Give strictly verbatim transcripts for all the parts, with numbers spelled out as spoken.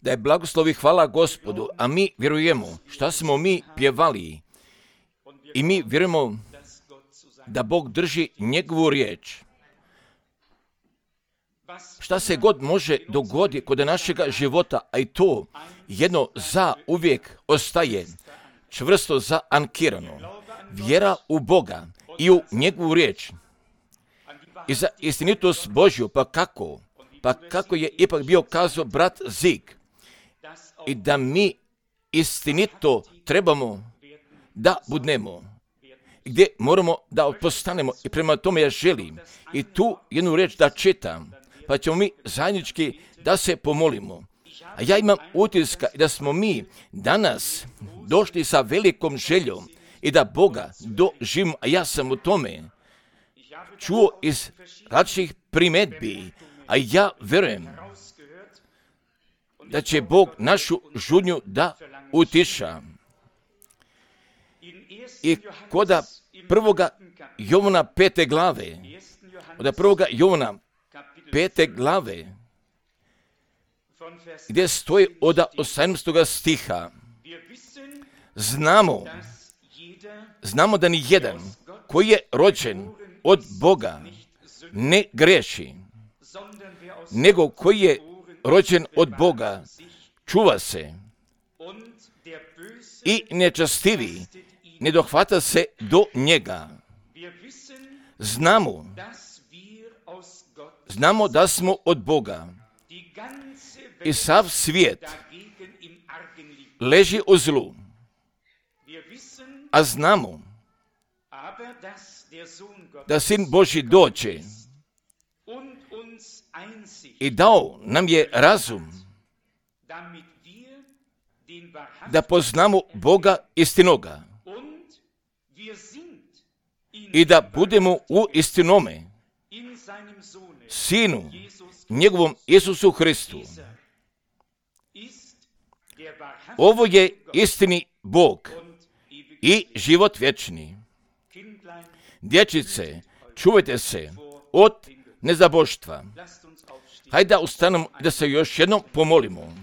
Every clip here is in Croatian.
Da je blagoslov i hvala Gospodu, a mi vjerujemo šta smo mi pjevali i mi vjerujemo da Bog drži njegovu riječ. Šta se god može dogoditi kod našega života, a i to jedno za uvijek ostaje čvrsto zaankirano. Vjera u Boga i u njegovu riječ i za istinitost Božju, pa kako? Pa kako je ipak bio kazao brat Zig, i da mi istinito trebamo da budnemo, gdje moramo da postanemo, i prema tome ja želim i tu jednu riječ da čitam, pa ćemo mi zajednički da se pomolimo. A ja imam utiska da smo mi danas došli sa velikom željom i da Boga doživimo, a ja sam u tome čuo iz različitih primjedbi, a ja vjerujem da će Bog našu žudnju da utiša. I koda prvoga Jovana pete glave, od prvoga Jovana pete glave, gdje stoji od osamnaestog stiha, znamo, znamo da ni jedan koji je rođen od Boga ne greši, nego koji je rođen od Boga čuva se i nečastivi ne dohvata se do njega. Znamo, znamo da smo od Boga i sav svijet leži u zlu, a znamo da Sin Božji dođe i dao nam je razum da poznamo Boga istinoga i da budemo u istinome Sinu, njegovom Isusu Hristu. Ovo je istini Bog i život vječni. Dječice, čuvajte se od nezaboštva. Hajde da ustanemo da se još jednom pomolimo.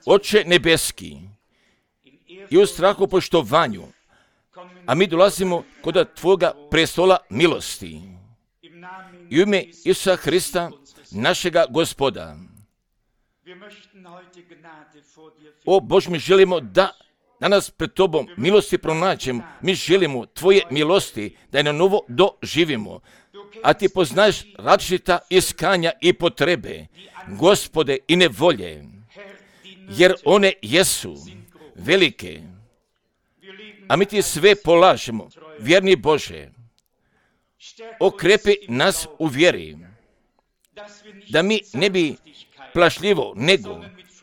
Oče nebeski, i u strahu poštovanju, a mi dolazimo kod Tvoga prestola milosti. I u ime Isusa Hrista, našega Gospoda. O Bože, mi želimo da danas pred Tobom milosti pronađemo. Mi želimo Tvoje milosti da je na novo doživimo. A Ti poznaješ različita iskanja i potrebe, Gospode, i nevolje, jer one jesu velike. A mi Ti sve polažemo, vjerni Bože. Okrepi nas u vjeri, da mi ne bi plašljivo, nego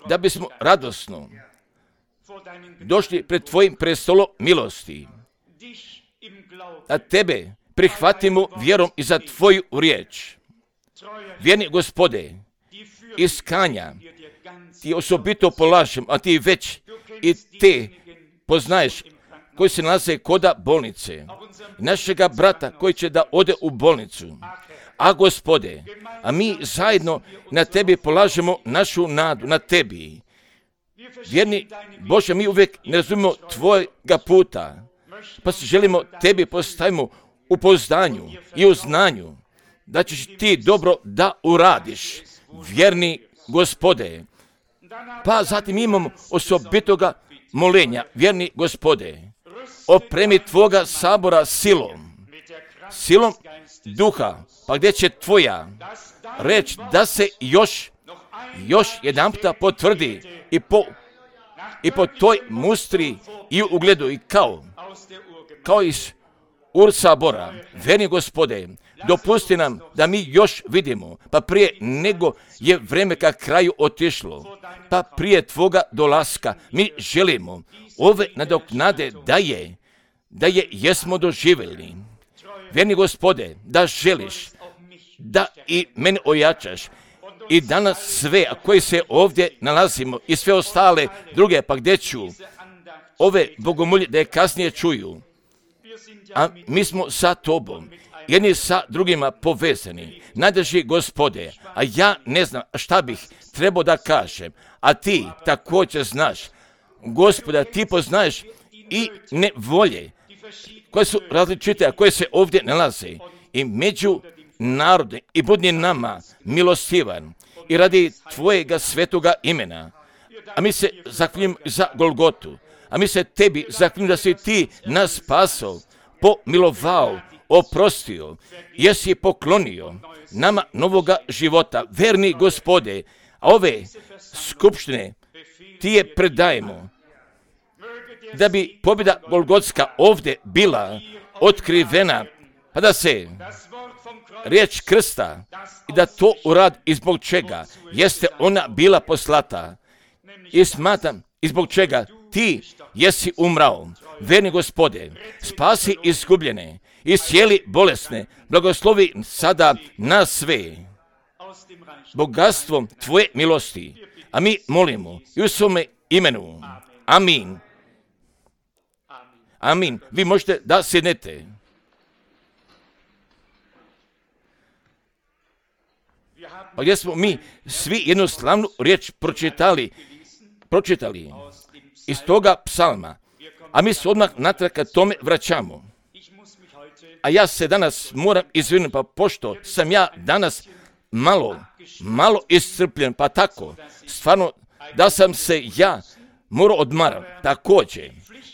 da bismo radosno došli pred Tvojim prestolom milosti, da Tebe prihvatimo vjerom i za Tvoju riječ. Vjerni Gospode, iskanja Ti osobito polažem, a Ti već i Te poznaješ koji se nalaze koda bolnice, našega brata koji će da ode u bolnicu. A Gospode, a mi zajedno na Tebi polažemo našu nadu, na Tebi. Vjerni Bože, mi uvijek ne razumimo Tvojega puta, pa se želimo Tebi postavimo u pouzdanju i u znanju, da ćeš Ti dobro da uradiš, vjerni Gospode. Pa zatim imamo osobitoga molenja, vjerni Gospode, opremi Tvoga sabora silom, silom duha, pa gdje će Tvoja reč da se još, još jedan puta potvrdi i po, i po toj mustri i ugledu i kao, kao iz Ur sabora, vjerni Gospode, dopusti nam da mi još vidimo, pa prije nego je vreme ka kraju otišlo, pa prije Tvoga dolaska mi želimo ove nadoknade da je, da je jesmo doživjeli. Vjerni Gospode, da želiš da i mene ojačaš i danas sve, a koji se ovdje nalazimo i sve ostale druge, pa gdje ću ove bogomolje da je kasnije čuju. A mi smo sa Tobom jedni sa drugima povezani. Najdrži Gospode, a ja ne znam šta bih trebao da kažem, a ti također znaš. Gospoda, ti poznaješ i nevolje koje su različite, a koje se ovdje nalaze. I među narode i budni nama milostivan i radi tvojega svetoga imena. A mi se zaklinjemo za Golgotu. A mi se tebi zaklinjemo da si ti nas spasao, pomilovao, oprostio, jesi poklonio nama novoga života. Verni Gospode, a ove skupštine ti je predajemo, da bi pobjeda Golgotska ovdje bila otkrivena, pa da se riječ krsta i da to uradi i zbog čega jeste ona bila poslata. I smatram i zbog čega ti jesi umrao. Verni Gospode, spasi izgubljene i cijeli bolesne, blagoslovi sada nas sve bogatstvom tvoje milosti. A mi molimo i u svome imenu. Amin. Amin. Vi možete da sjednete. Pa gdje smo mi svi jednu slavnu riječ pročitali, pročitali iz toga psalma, a mi se odmah natrag ka tome vraćamo. A ja se danas moram izvinuti, pa pošto sam ja danas malo, malo iscrpljen, pa tako, stvarno da sam se ja morao odmarati, također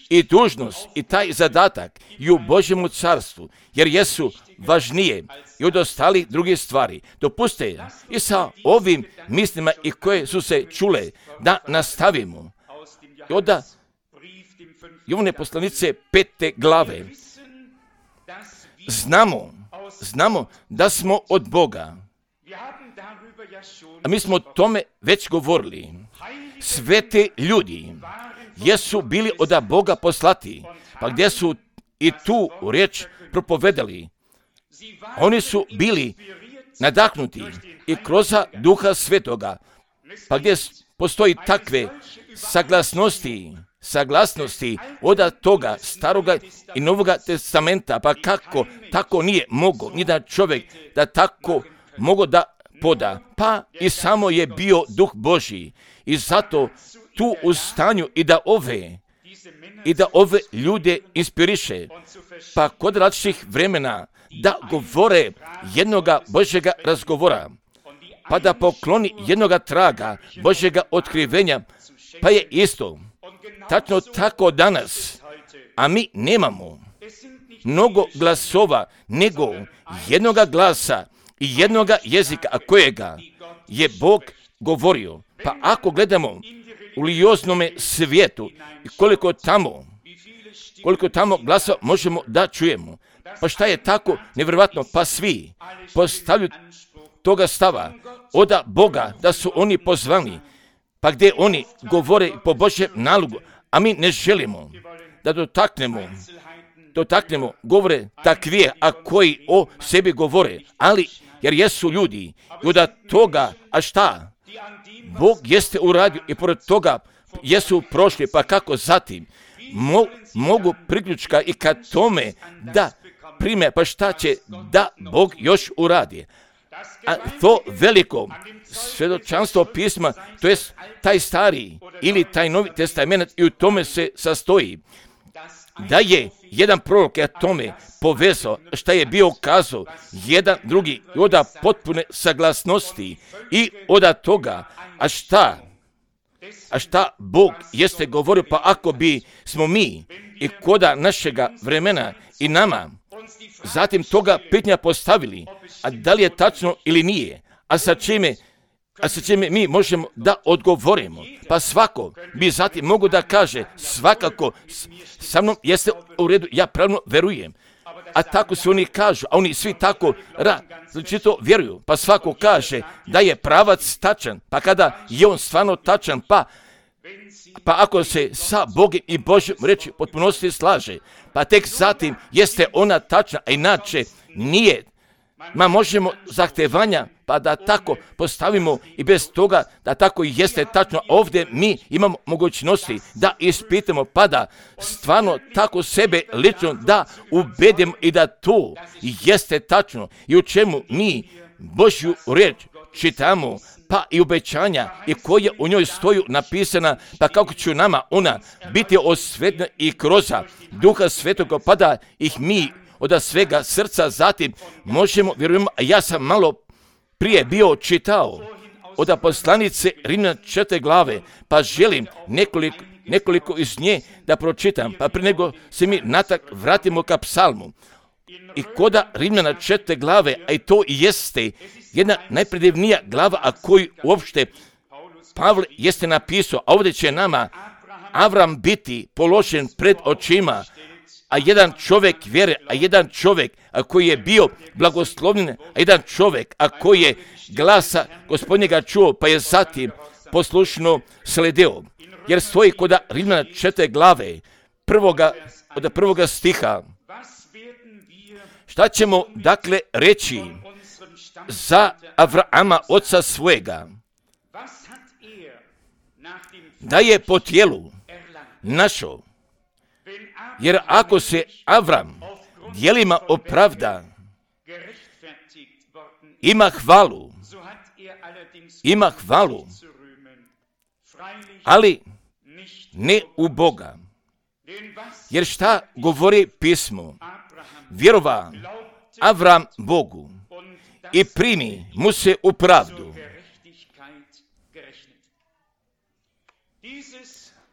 i dužnost i taj zadatak i u Božjemu carstvu, jer jesu važnije i od ostalih drugih stvari. Dopuste i sa ovim mislima i koje su se čule da nastavimo. I onda Jovane poslanice pete glave. Znamo, znamo da smo od Boga. A mi smo o tome već govorili. Sveti ljudi jesu bili od Boga poslati, pa gdje su i tu riječ propovedali. Oni su bili nadahnuti i kroz Duha Svetoga, pa gdje postoji takve saglasnosti, saglasnosti od toga staroga i novoga testamenta, pa kako tako nije mogo ni da čovjek da tako mogo da poda, pa i samo je bio Duh Božji i zato tu u stanju i da ove i da ove ljude inspiriše, pa kod različitih vremena da govore jednoga Božjega razgovora, pa da pokloni jednoga traga Božjega otkrivenja, pa je isto tačno tako danas, a mi nemamo mnogo glasova, nego jednoga glasa i jednoga jezika, a kojega je Bog govorio. Pa ako gledamo u religioznome svijetu i koliko tamo, koliko tamo glasa možemo da čujemo, pa šta je tako nevjerojatno, pa svi postavljaju toga stava od Boga da su oni pozvani, pa gdje oni govore po Božjem nalogu, a mi ne želimo da dotaknemo, dotaknemo govore takvije, a koji o sebi govore, ali jer jesu ljudi i od toga, a šta? Bog jeste uradio i pored toga jesu prošli, pa kako zatim mo, mogu priključka i ka tome da prime, pa šta će da Bog još uradi. A to veliko svjedočanstvo pisma, to je taj stari ili taj novi testament i u tome se sastoji. Da je jedan prorok je tome povezao šta je bio kazao, jedan drugi i od potpune saglasnosti i od toga, a šta? A šta Bog jeste govorio, pa ako bi smo mi i koda našega vremena i nama zatim toga pitanja postavili, a da li je tačno ili nije, a sa čime, a sa čime mi možemo da odgovorimo, pa svako bi zatim mogu da kaže svakako sa mnom jeste u redu, ja pravno verujem, a tako se oni kažu, a oni svi tako različito vjeruju, pa svako kaže da je pravac tačan, pa kada je on stvarno tačan, pa Pa ako se sa Bogom i Božjom reči potpunosti slaže, pa tek zatim jeste ona tačna, a inače nije Ma možemo zahtevanja, pa da tako postavimo i bez toga da tako i jeste tačno. Ovdje mi imamo mogućnosti da ispitamo, pa da stvarno tako sebe lično da ubedimo i da to jeste tačno i u čemu mi Božju riječ čitamo, pa i obećanja i koje u njoj stoju napisana, pa kako će nama ona biti osvetljena i kroz Duha Svetoga, pa da ih mi od svega srca zatim možemo, vjerujemo, a ja sam malo prije bio čitao od poslanice Rimljana četvrte glave, pa želim nekoliko, nekoliko iz nje da pročitam, pa prije nego se mi natak vratimo ka psalmu. I koda Rimljana četvrte glave, a i to jeste jedna najpredivnija glava, a koju uopšte Pavle jeste napisao, a ovdje će nama Avram biti položen pred očima, a jedan čovjek vjere, a jedan čovjek a koji je bio blagoslovljen, a jedan čovjek a koji je glasa Gospodnjega čuo, pa je zatim poslušno sledeo. Jer stoji kod Rimljana četvrte glave, prvoga, od prvoga stiha. Šta ćemo dakle reći za Avrama, oca svojega? Da je po tijelu našao. Jer ako se Avram djelima opravda, ima hvalu, ima hvalu, ali ne u Boga. Jer šta govori pismo? Vjerova Avram Bogu i primi mu se u pravdu.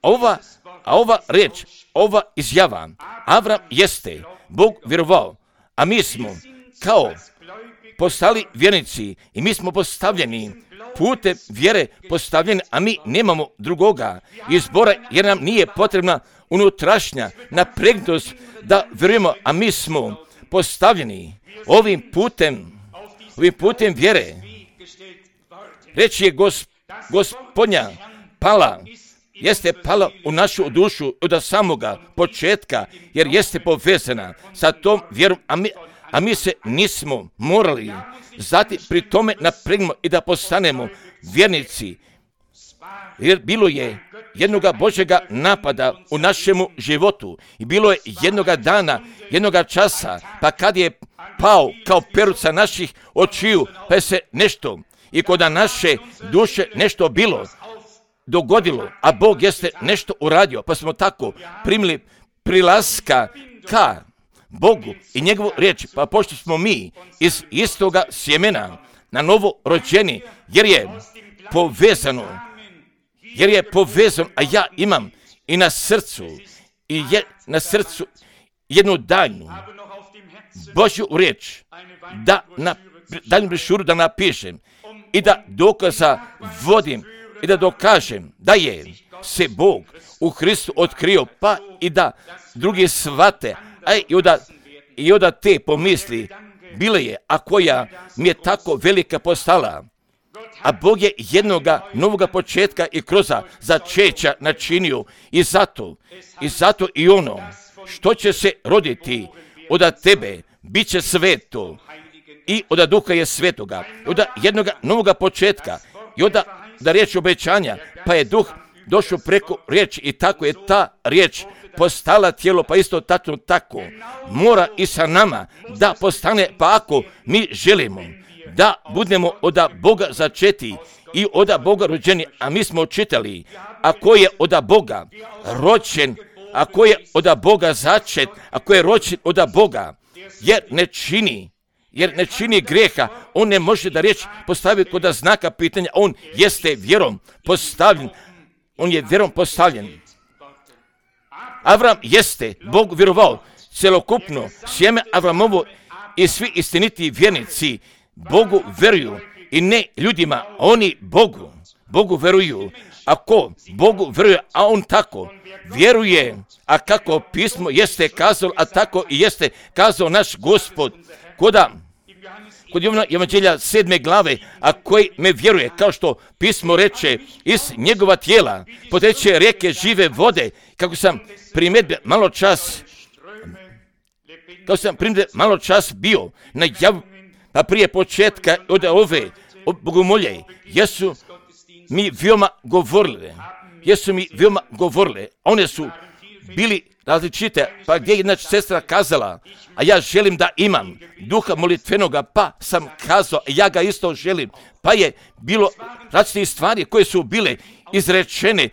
Ova, a ova reč, ova izjava, Avram jeste Bog vjerovao, a mi smo kao postali vjernici i mi smo postavljeni putem vjere postavljeni, a mi nemamo drugoga izbora jer nam nije potrebna unutrašnja napregnutost da vjerujemo, a mi smo postavljeni ovim putem, ovim putem vjere. Reč je gos, Gospodnja pala, jeste pala u našu dušu od samoga početka, jer jeste povezana sa tom vjerom, a mi, a mi se nismo morali zatim pri tome napregnemo i da postanemo vjernici. Jer bilo je jednoga Božjega napada u našemu životu i bilo je jednoga dana, jednoga časa, pa kad je pao kao peruca naših očiju, pa je se nešto i kod naše duše nešto bilo, dogodilo, a Bog jeste nešto uradio, pa smo tako primili prilaska ka Bogu i njegovu riječ, pa pošto smo mi iz istoga sjemena na novo rođeni, jer je povezano, jer je povezan, a ja imam i na srcu, i je na srcu jednu daljnu Božju riječ, da na daljnu brošuru da napišem i da dokaza vodim i da dokažem da je se Bog u Hristu otkrio, pa i da drugi shvate, a i od, i od te pomisli bile je, a koja mi je tako velika postala. A Bog je jednoga novoga početka i kroz začeća načinio i zato, i zato i ono što će se roditi od tebe bit će sveto i od Duha je svetoga, od jednoga novoga početka i od da riječ obećanja, pa je Duh došao preko riječi i tako je ta riječ postala tijelo, pa isto tačno tako mora i sa nama da postane, pa ako mi želimo da budemo od Boga začeti i od Boga rođeni, a mi smo čitali, ako je od Boga rođen, ako je od Boga začet, ako je rođen od Boga, jer ne čini, jer ne čini grijeha, on ne može da riječ postavi kod znaka pitanja, on jeste vjerom postavljen, on je vjerom postavljen. Avram jeste Bog vjerovao, celokupno sjeme Avramovo i svi istiniti vjernici Bogu veruju i ne ljudima, oni Bogu, Bogu veruju. Ako Bogu veruje, a on tako vjeruje, a kako pismo jeste kazalo, a tako i jeste kazao naš Gospod, koda kod Jovana Evanđelja sedme glave, a koji me vjeruje, kao što pismo reče, iz njegova tijela poteče rijeke žive vode, kako sam primjedbe malo čas, kako sam primjedbe malo čas bio na jav, pa prije početka od ove bogomolje, jesu mi veoma govorile, jesu mi veoma govorile, one su bili različite, pa gdje je jedna sestra kazala, a ja želim da imam duha molitvenoga, pa sam kazao, ja ga isto želim, pa je bilo različite stvari koje su bile izrečene,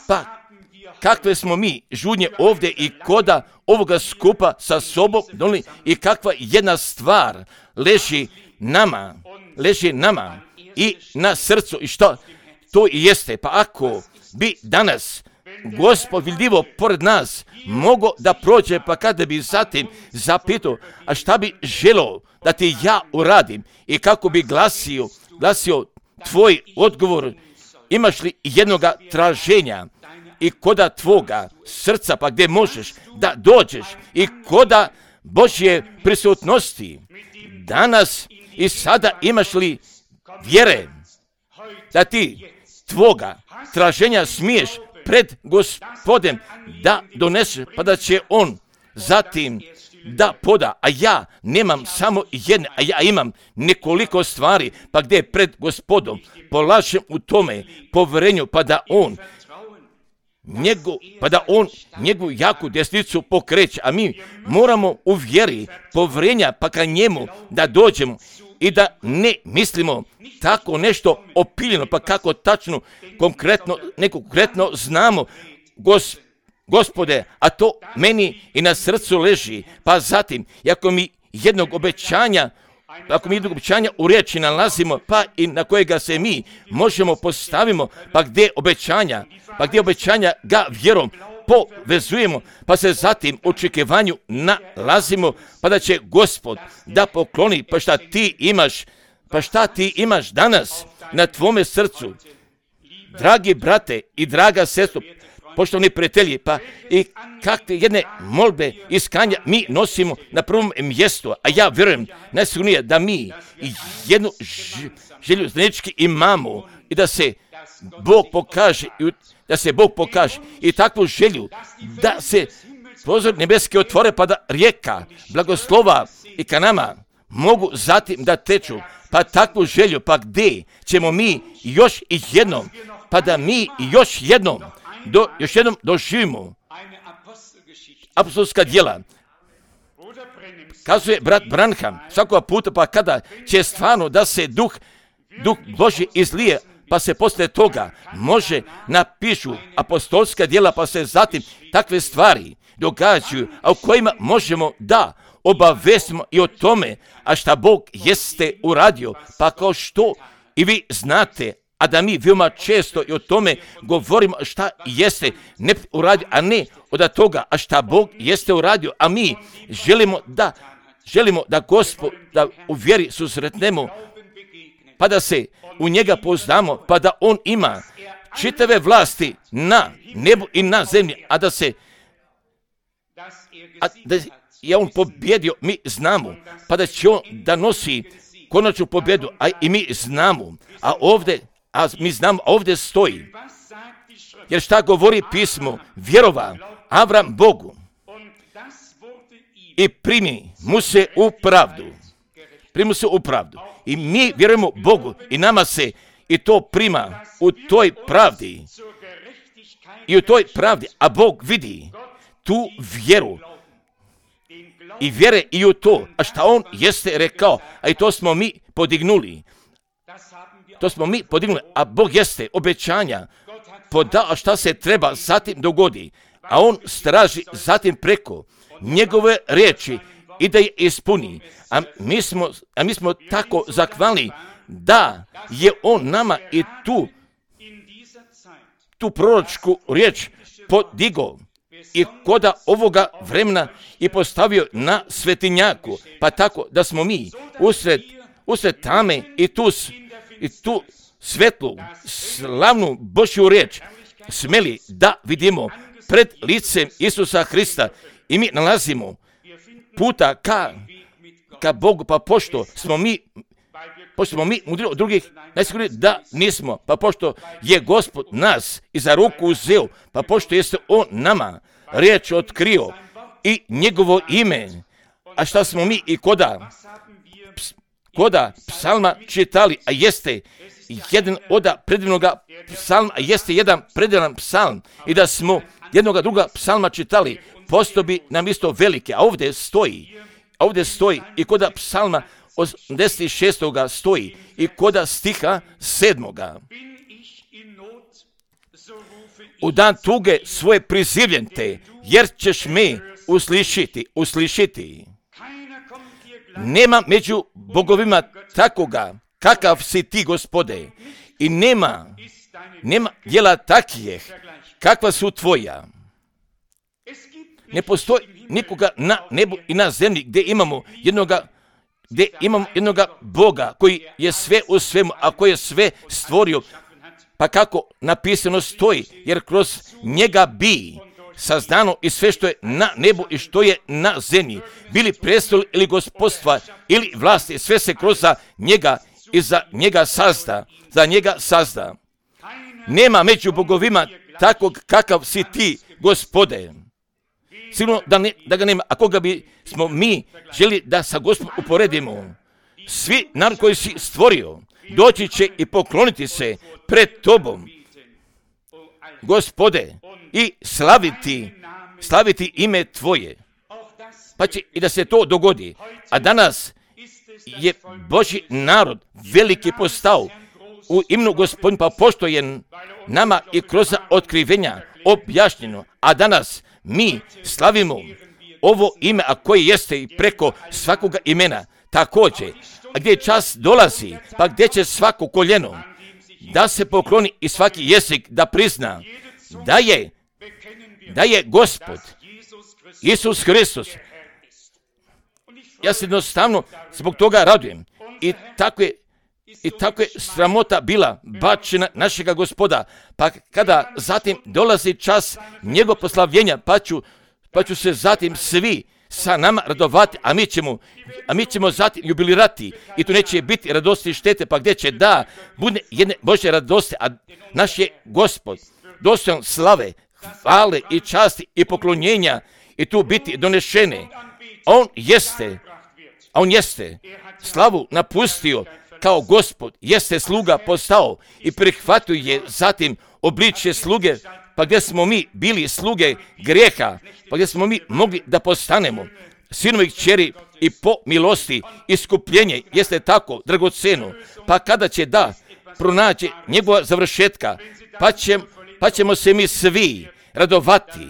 pa kakve smo mi žudnje ovdje i koda ovoga skupa sa sobom donijeli i kakva jedna stvar leži nama, leži nama i na srcu i što to i jeste. Pa ako bi danas Gospod vidljivo pored nas mogo da prođe, pa kada bi zatim zapitao, a šta bi želio da ti ja uradim i kako bi glasio, glasio tvoj odgovor, imaš li jednoga traženja i koda tvoga srca, pa gdje možeš da dođeš i koda Božje prisutnosti danas i sada imaš li vjere da ti tvoga traženja smiješ pred Gospodem da doneseš, pa da će on zatim da poda, a ja nemam samo jedne, a ja imam nekoliko stvari, pa gdje pred Gospodom polažem u tome povjerenju, pa da on njegu, pa da on njegovu jaku desnicu pokreće, a mi moramo u vjeri povjerenja, pa ka njemu da dođemo i da ne mislimo tako nešto opiljeno, pa kako tačno, konkretno, neko konkretno znamo, gos, Gospode, a to meni i na srcu leži, pa zatim, ako mi jednog obećanja, ako mi jednog obećanja u riječi nalazimo, pa i na kojega se mi možemo postavimo, pa gdje obećanja, pa gdje obećanja ga vjerom povezujemo, pa se zatim u očekivanju nalazimo, pa da će Gospod da pokloni, pa šta ti imaš, pa šta ti imaš danas na tvome srcu, dragi brate i draga sestro, poštovani prijatelji, pa i kakve jedne molbe iskanja mi nosimo na prvom mjestu, a ja vjerujem najsigurnije da mi jednu želju zajednički imamo i da se Bog pokaže, da se Bog pokaže i takvu želju da se prozor nebeski otvore, pa da rijeka blagoslova i ka nama mogu zatim da teču, pa takvu želju, pa gdje ćemo mi još i jednom, pa da mi još jednom Do, još jednom doživimo apostolska djela. Kazuje brat Branham svakog puta, pa kada će stvarno da se duh, duh Božji izlije, pa se poslije toga može napišu apostolska djela, pa se zatim takve stvari događaju, a u kojima možemo da obavestimo i o tome, a šta Bog jeste uradio, pa kao što i vi znate, a da mi veoma često i o tome govorimo šta jeste ne uradio, a ne od toga, a šta Bog jeste uradio, a mi želimo da, želimo da Gospod, da u vjeri susretnemo, pa da se u njega poznamo, pa da on ima čitave vlasti na nebu i na zemlji, a da se, a da je on pobjedio, mi znamo, pa da će on da nosi konačnu pobjedu, a i mi znamo, a ovdje A mi znamo, ovdje stoji, jer šta govori pismo, vjerova Avram Bogu i primi mu se u pravdu, primi mu se u pravdu. I mi vjerujemo Bogu i nama se i to prima u toj pravdi i u toj pravdi, a Bog vidi tu vjeru i vjere i u to, a šta on jeste rekao, a i to smo mi podignuli. To smo mi podignuli, a Bog jeste obećanja podao, a šta se treba zatim dogodi, a on straži zatim preko njegove riječi i da je ispuni. A mi smo, a mi smo tako zahvalni da je on nama i tu, tu proročku riječ podigao i koda ovoga vremena i postavio na svetinjaku, pa tako da smo mi usred, usred tame i tu i tu svetlu, slavnu Božju riječ smeli da vidimo pred licem Isusa Hrista i mi nalazimo puta ka, ka Bogu, pa pošto smo mi, pošto smo mi mudri od drugih, najsigurnije da nismo, pa pošto je Gospod nas i za ruku uzeo, pa pošto jeste on nama riječ otkrio i njegovo ime, A šta smo mi i koda, koda psalma čitali, a jeste jedan od predivnoga psalma, a jeste jedan predivan psalm, i da smo jednoga druga psalma čitali, postao bi nam isto velike, a ovdje stoji, a ovdje stoji i koda psalma osamdeset šestoga stoji i koda stiha sedmoga. U dan tuge svoje prizivljen te, jer ćeš me uslišiti, uslišiti. Nema među bogovima takoga, kakav si ti, Gospode, i nema, nema djela takvih, kakva su tvoja. Ne postoji nikoga na nebu i na zemlji gdje imamo jednoga, gdje imamo jednoga Boga koji je sve u svemu, a koji je sve stvorio. Pa kako napisano stoji, jer kroz njega bi saznano i sve što je na nebu i što je na zemlji, bili prestoli ili gospodstva ili vlasti, sve se kroz za njega i za njega sazda, za njega sazda. Nema među bogovima takvog kakav si ti, Gospode. Sigurno da, ne, da ga nema, a koga bi smo mi želi da sa Gospodom uporedimo. Svi narod koji si stvorio doći će i pokloniti se pred tobom, Gospode, i slaviti, slaviti ime tvoje. Pa će i da se to dogodi. A danas je Božji narod veliki postao u imenu Gospodin, pa pošto je nama i kroz otkrivenja objašnjeno, a danas mi slavimo ovo ime, a koje jeste i preko svakoga imena. Također, a gdje čas dolazi, pa gdje će svako koljeno da se pokloni i svaki jezik da prizna da je, da je Gospod Isus Hristos. Ja se jednostavno zbog toga radujem. I tako je, i tako je sramota bila bačena našega Gospoda. Pa kada zatim dolazi čas njegov proslavljenja, pa ću, pa ću se zatim svi sa nama radovati, a mi ćemo, a mi ćemo zatim jubilirati i tu neće biti radosti i štete, pa gdje će da bude jedne Božje radosti, a naš je Gospod dostojan slave, hvale i časti i poklonjenja i tu biti donešene. On jeste, a on jeste slavu napustio kao Gospod, jeste sluga postao i prihvatio je zatim obličje sluge, pa gdje smo mi bili sluge grijeha, pa gdje smo mi mogli da postanemo sinovi kćeri i po milosti iskupljenje jeste tako dragoceno, pa kada će da pronađe njegova završetka, pa, će, pa ćemo se mi svi radovati,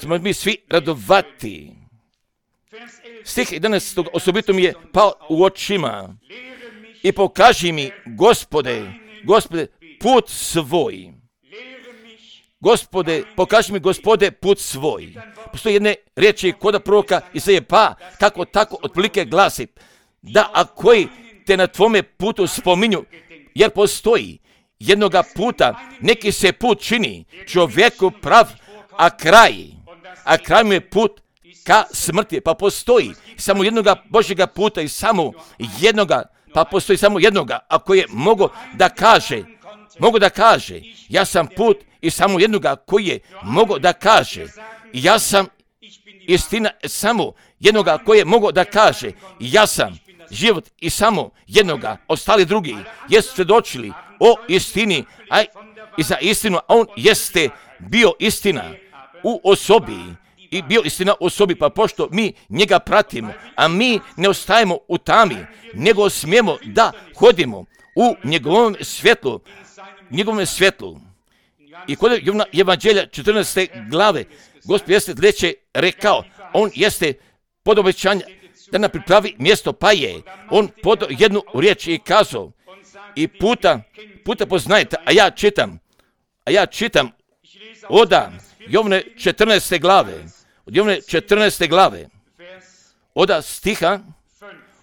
ćemo mi svi radovati. Stih jedanaestog osobito mi je pao u očima i pokaži mi, Gospode, Gospode, put svoj. Gospode, pokaži mi, Gospode, put svoj. Postoji jedne riječi koda proroka Izaije, pa kako tako otprilike glasi, da a koji te na tvome putu spominju, jer postoji jednoga puta, neki se put čini čovjeku prav, a kraj, a kraj mu je put ka smrti, pa postoji samo jednoga Božjega puta i samo jednoga, pa postoji samo jednoga, ako je mogo da kaže, mogo da kaže, ja sam put i samo jednoga koji je mogo da kaže, ja sam istina, samo jednoga koji je mogo da kaže, ja sam život i samo jednoga, ostali drugi jesu svjedočili o istini, a i za istinu, a on jeste bio istina u osobi i bio istina u osobi, pa pošto mi njega pratimo, a mi ne ostajemo u tami, nego smijemo da hodimo u njegovom svjetlu, njegovom svjetlu. I kod Evanđelja četrnaeste glave, Gospod jeste sljedeće rekao, on jeste pod obećanje da nam pripravi mjesto, pa je on podao jednu riječ i kazao, i puta, puta poznajete, a ja čitam, a ja čitam od Jovne četrnaeste glave, od Jovne četrnaeste glave, od stiha,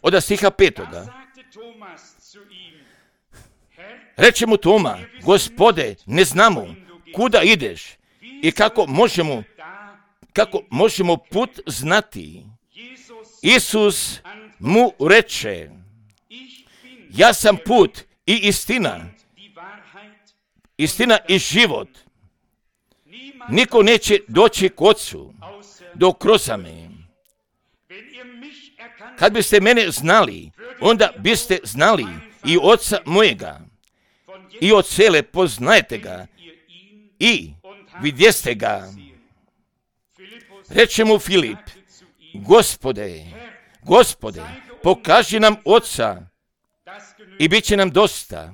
od stiha petoga. Reče mu Toma, Gospode, ne znamo kuda ideš i kako možemo, kako možemo put znati. Isus mu reče, ja sam put i istina, istina i život. Niko neće doći k Otcu dok kroz me. kad biste mene znali, onda biste znali i Oca mojega. I od cele poznajete ga i vidjeste ga. Reče mu Filip, Gospode, Gospode, pokaži nam Oca i bit će nam dosta.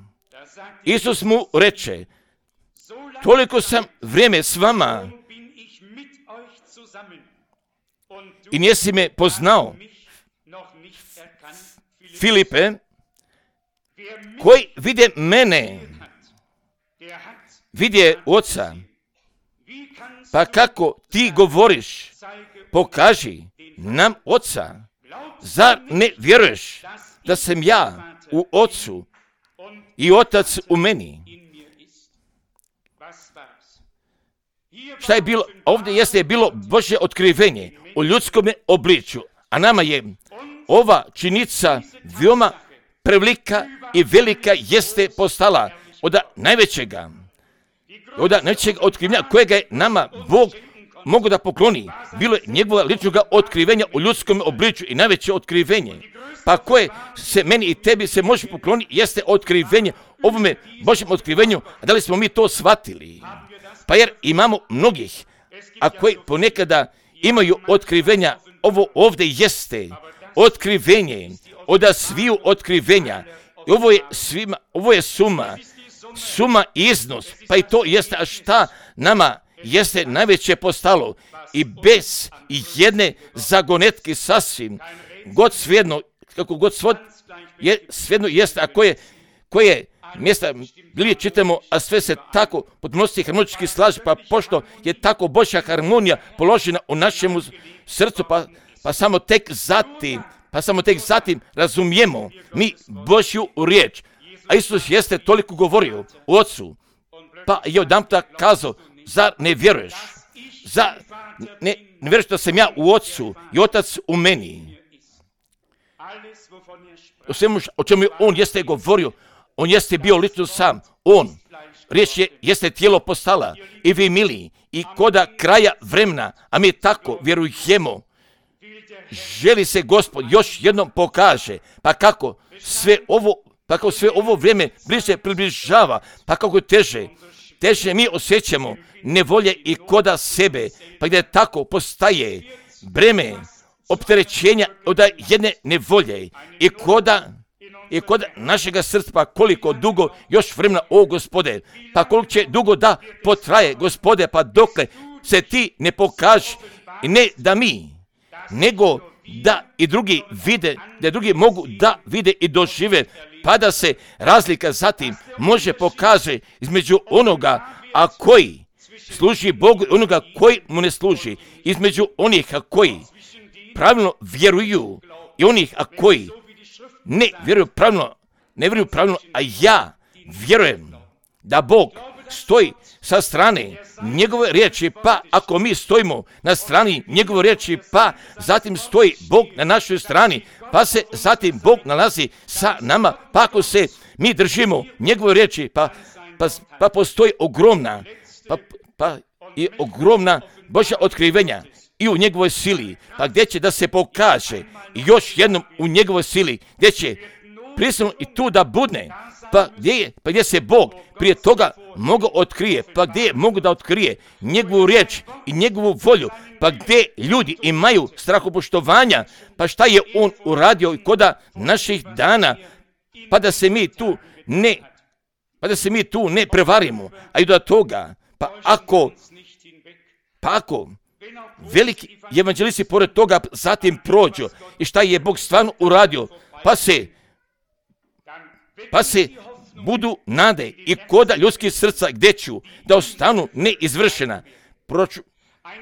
Isus mu reče, toliko sam vrijeme s vama i nisi me poznao. Filipe, koji vide mene, vidje Oca. Pa kako ti govoriš, pokaži nam Oca. Zar ne vjeruješ da sam ja u Ocu i Otac u meni? Šta je bilo? Ovdje jeste bilo Božje otkrivenje u ljudskom obličju, a nama je ova činjenica veoma prevelika i velika jeste postala od najvećega, od najvećeg otkrivenja kojega je nama Bog mogu da pokloni. Bilo je njegova ličnoga otkrivenja u ljudskom obličju i najveće otkrivenje. Pa koje se meni i tebi se može pokloniti jeste otkrivenje ovome Božjem otkrivenju, a da li smo mi to shvatili? Pa jer imamo mnogih, a koji ponekada imaju otkrivenja, ovo ovdje jeste otkrivenje, od sviju otkrivenja. I ovo je svima, ovo je suma, suma i iznos, pa i to jeste, a šta nama jeste najveće postalo i bez jedne zagonetke sasvim, god svejedno, kako god svod, je, svejedno jeste, a koje, koje mjesta bili čitamo, a sve se tako podnosi harmonički slaže, pa pošto je tako Božja harmonija položena u našemu srcu, pa, pa samo tek zatim, pa samo tek zatim razumijemo mi Božju riječ. A Isus jeste toliko govorio u Ocu, pa je odamputa kazao, zar ne vjeruješ? Zar ne, ne vjeruješ da sam ja u Ocu i Otac u meni? O svemu o čemu je on jeste govorio, on jeste bio lično sam, on, riječ je, jeste tijelo postala i vi mili, i koda kraja vremena, a mi tako vjerujemo, želi se Gospod još jednom pokaže, pa kako sve ovo, pa kako sve ovo vrijeme bliže približava, pa kako teže, teže mi osjećamo nevolje i koda sebe, pa gdje tako postaje breme opterećenja od jedne nevolje i koda i kod našega srca, pa koliko dugo još vremena, o Gospode, pa koliko će dugo da potraje, Gospode, pa dokle se ti ne pokaži, i ne da mi, nego da i drugi vide, da drugi mogu da vide i dožive, pa da se razlika zatim može pokaže između onoga, a koji služi Bogu i onoga koji mu ne služi, između onih a koji pravilno vjeruju i onih a koji ne vjeruju pravilno, ne vjeruju pravilno, a ja vjerujem da Bog stoji sa strane njegove riječi, pa ako mi stojimo na strani njegove riječi, pa zatim stoji Bog na našoj strani, pa se zatim Bog nalazi sa nama, pa ako se mi držimo njegove riječi, pa, pa, pa postoji ogromna, pa, pa i ogromna Božja otkrivenja i u njegovoj sili, pa gdje će da se pokaže još jednom u njegovoj sili, gdje će prisutno i tu da budne, pa gdje je, pa gdje se Bog prije toga mogu otkrije, pa gdje mogu da otkrije njegovu riječ i njegovu volju, pa gdje ljudi imaju strahopoštovanja, pa šta je on uradio i koda naših dana, pa da se mi tu ne, pa da se mi tu ne prevarimo, a i do toga, pa ako, pa ako, veliki evanđelisti pored toga zatim prođu i šta je Bog stvarno uradio, pa se, pa se budu nade i koda ljudskih srca gdje ću da ostanu neizvršena. Proraču,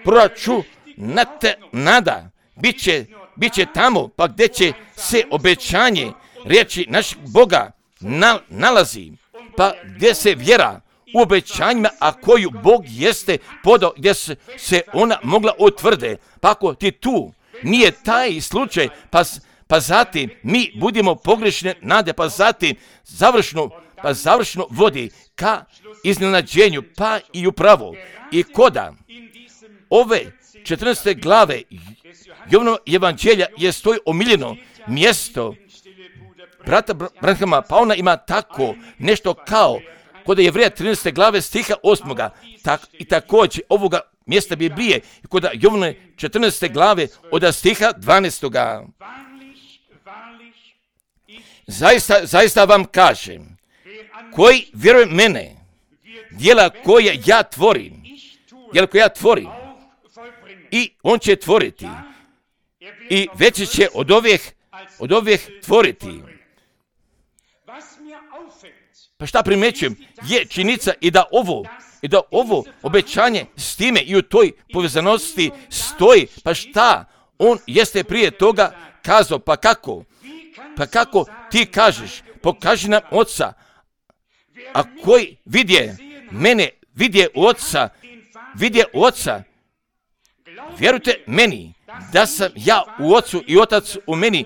proraču na te nada bit će, bit će tamo, pa gdje će se obećanje riječi našeg Boga na, nalazi, pa gdje se vjera u obećanjima, a koju Bog jeste podao, gdje se, se ona mogla utvrde. Pa ako ti tu nije taj slučaj, pa, pa zatim mi budemo pogrešne nade, pa zatim završno, pa završno vodi ka iznenađenju, pa i upravo. I koda ove četrnaeste glave Jovanova evanđelja je stoji omiljeno mjesto brata Branhama, pa ona ima tako nešto kao kod Jevreja trinaeste glave stiha osmoga. Tak, I također ovoga mjesta Biblije kod Jovane četrnaeste glave od stiha dvanaestoga. Zaista, zaista vam kažem, koji vjeruje mene, djela koje ja tvorim, djela koje ja tvorim, i on će tvoriti, i veće će od ovih, od ovih tvoriti. Pa šta primjećujem, je činjenica i da ovo, i da ovo obećanje s time i u toj povezanosti stoji. Pa šta, on jeste prije toga kazao, pa kako? Pa kako ti kažeš, pokaži nam Oca, a koji vidje mene, vidje Oca, vidje Oca. Vjerujte meni da sam ja u Ocu i Otac u meni,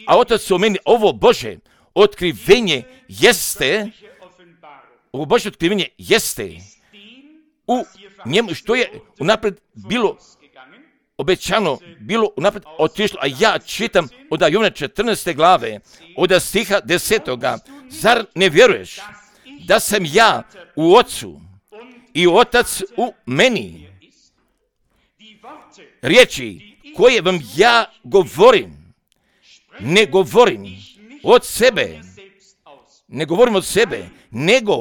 a Otac u meni. Ovo Bože otkrivenje jeste, ovo Bože otkrivenje jeste u njemu što je unaprijed bilo obećano, bilo unaprijed otišlo, a ja čitam od Jovane četrnaeste glave, od stiha desetoga. Zar ne vjeruješ da sam ja u Ocu i Otac u meni? Riječi koje vam ja govorim, ne govorim od sebe, ne govorim od sebe, nego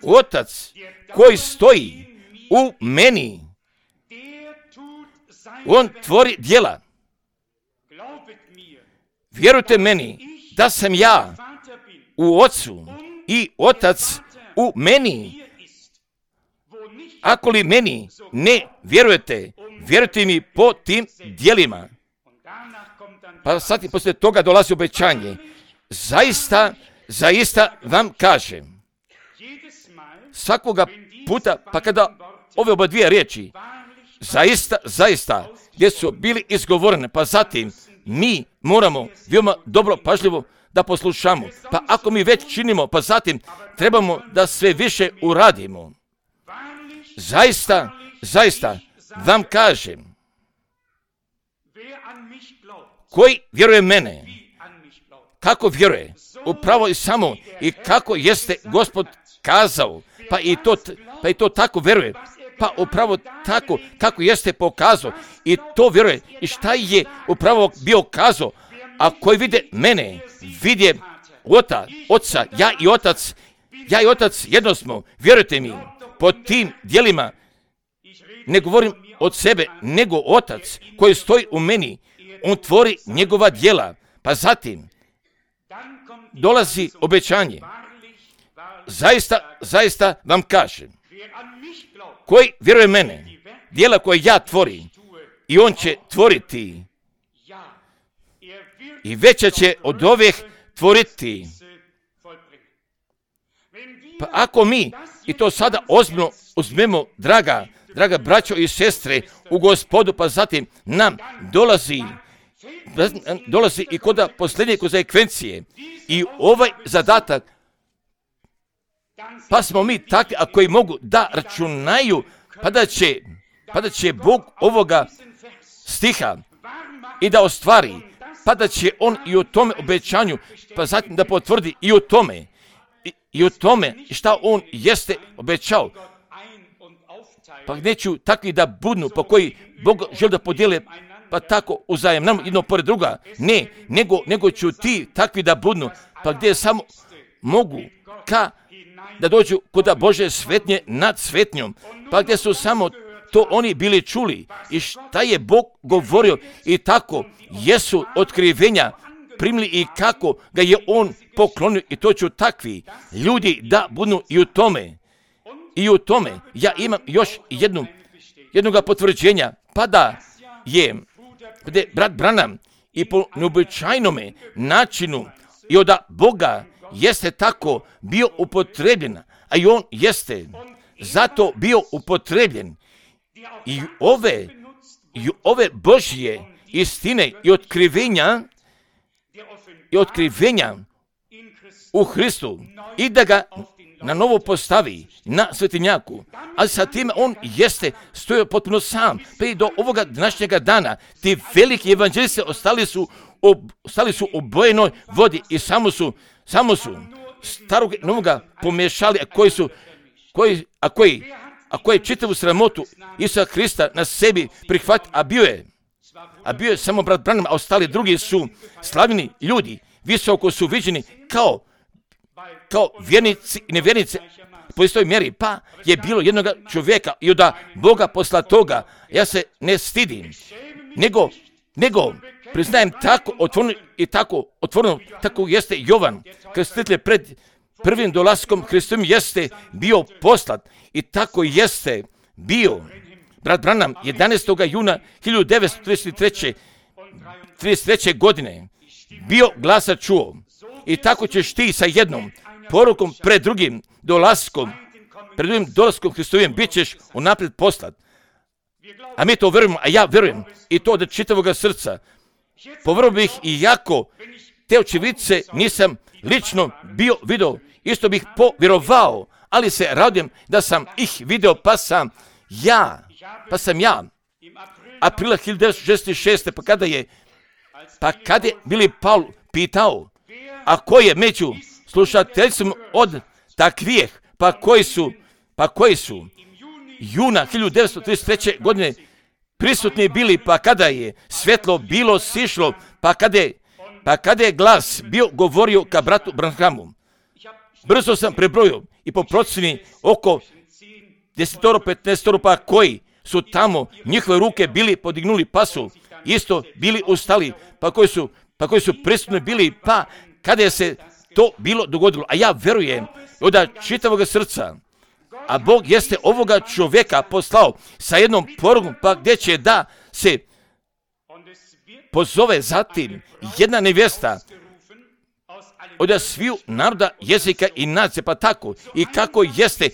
Otac koji stoji u meni, on tvori djela. Vjerujte meni da sam ja u Ocu i Otac u meni. Ako li meni ne vjerujete, vjerujte mi po tim djelima. Pa sad i poslije toga dolazi obećanje. Zaista, zaista vam kažem, svakoga puta, pa kada ove oba dvije riječi, zaista, zaista, gdje su bili izgovorene, pa zatim mi moramo veoma dobro, pažljivo da poslušamo. Pa ako mi već činimo, pa zatim trebamo da sve više uradimo. Zaista, zaista vam kažem, koji vjeruje mene, kako vjeruje, upravo i samo i kako jeste Gospod kazao, pa i to, pa i to tako vjeruje, pa upravo tako kako jeste pokazao i to vjeruje. I šta je upravo bio kazao, a koji vide mene, vidje Ota, Oca, ja i Otac, ja i Otac jedno smo, vjerujte mi, po tim djelima, ne govorim od sebe, nego Otac koji stoji u meni, on tvori njegova djela. Pa zatim dolazi obećanje. Zaista, zaista vam kažem, koji vjeruje mene, djela koje ja tvorim, i on će tvoriti, i veća će od ovih tvoriti. Pa ako mi, i to sada ozbiljno uzmemo, draga, draga braćo i sestre, u Gospodu, pa zatim nam dolazi, dolazi i kod posljednje konsekvencije i ovaj zadatak, pa smo mi takvi, a koji mogu da računaju, pa da će, pa da će Bog ovoga stiha i da ostvari, pa da će on i u tome obećanju, pa zatim da potvrdi i u tome, i, i u tome šta on jeste obećao. Pa neću takvi da budnu, po koji Bog želi da podijele, pa tako uzajemno jedno pored druga. Ne, nego, nego ću ti takvi da budnu, pa gdje samo mogu ka da dođu kod Bože svetnje nad svetnjom, pa gdje su samo to oni bili čuli i šta je Bog govorio i tako jesu otkrivenja primili i kako ga je on poklonio i to ću takvi ljudi da budu i u tome. I u tome ja imam još jednu, jednoga potvrđenja, pa da je da brat Branham i po neobičajnome načinu i od Boga jeste tako bio upotrebljen, a i on jeste zato bio upotrebljen i ove, i ove Božje istine i otkrivenja i otkrivenja u Hristu i da ga na novo postavi na svetinjaku, ali sa tim on jeste stojao potpuno sam. Pa i do ovoga današnjega dana ti veliki evanđelisti ostali su ob, stali su u bojenoj vodi i samo su, samo su starog i novoga pomiješali, a koji su, koji, a koji, a koji čitavu sramotu Isusa Krista na sebi prihvati, a bio je, a bio je samo brat Branham, a ostali drugi su slavni ljudi, visoko su viđeni kao, kao vjernici i nevjernici po istoj mjeri, pa je bilo jednog čovjeka i od Boga posla toga, ja se ne stidim, nego, nego priznajem tako otvoreno i tako otvoreno, tako jeste Jovan, krstitelj pred prvim dolaskom Hristom jeste bio poslat i tako jeste bio brat Branham jedanaestog juna hiljadu devetsto trideset treće godine bio glasa čuo i tako ćeš ti sa jednom porukom pred drugim dolaskom, pred drugim dolaskom Hristovim bit ćeš unaprijed poslat. A mi to vjerujemo, a ja vjerujem i to od čitavoga srca. Povjerovao bih i jako te očevidce nisam lično bio vidio, isto bih povjerovao, ali se radujem da sam ih video, pa sam ja, pa sam ja, aprila hiljadu devetsto šezdeset šeste. pa kada je, pa kada je Billy Paul pitao, a ko je među slušateljicom od takvih, pa koji su, pa koji su juna hiljadu devetsto trideset treće. godine prisutni bili, pa kada je svjetlo bilo sišlo, pa kada je, pa kada je glas bio govorio ka bratu Branhamu. Brzo sam prebrojio i po procjeni oko desetoro, petnaestoro, pa koji su tamo njihove ruke bili podignuli, pa su isto bili ustali, pa koji su, pa koji su prisutni bili, pa kada je se to bilo dogodilo. A ja vjerujem od čitavog srca, a Bog jeste ovoga čovjeka poslao sa jednom porukom, pa gdje će da se pozove zatim jedna nevjesta od sviju naroda, jezika i nacije, pa tako i kako jeste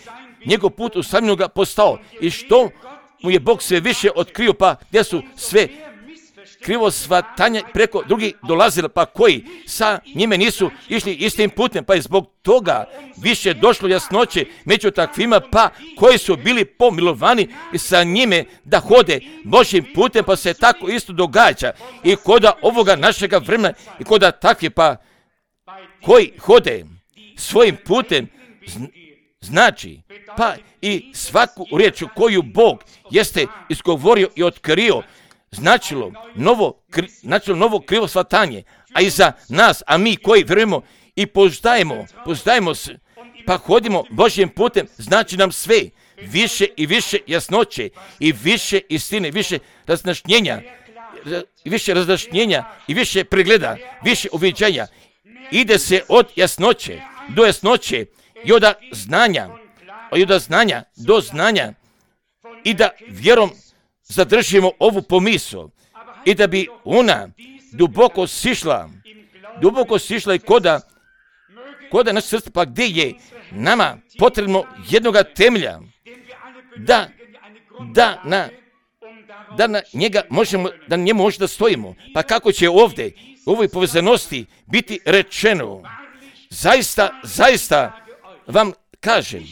njegov put usamljenoga postao i što mu je Bog sve više otkrio, pa gdje su sve krivo shvatanja preko drugih dolazili, pa koji sa njime nisu išli istim putem, pa je zbog toga više došlo jasnoće među takvima, pa koji su bili pomilovani i sa njime da hode Božjim putem, pa se tako isto događa i koda ovoga našega vremena i koda takvi, pa koji hode svojim putem, znači, pa i svaku riječ koju Bog jeste izgovorio i otkrio, značilo novo, kri, značilo novo krivo shvatanje, a i za nas, a mi koji vjerujemo i pozdajemo, pozdajemo se, pa hodimo Božjim putem, znači nam sve, više i više jasnoće i više istine, više razjašnjenja, više razjašnjenja i više pregleda, više uviđanja. Ide se od jasnoće do jasnoće i od znanja, i od znanja do znanja i da vjerom zadržimo ovu pomisao i da bi ona duboko sišla, duboko sišla i koda, koda naše srce, pa gdje je nama potrebno jednoga temelja, da, da na, da na njega možemo, da na njemu možemo da stojimo. Pa kako će ovdje u ovoj povezanosti biti rečeno, zaista, zaista vam kažem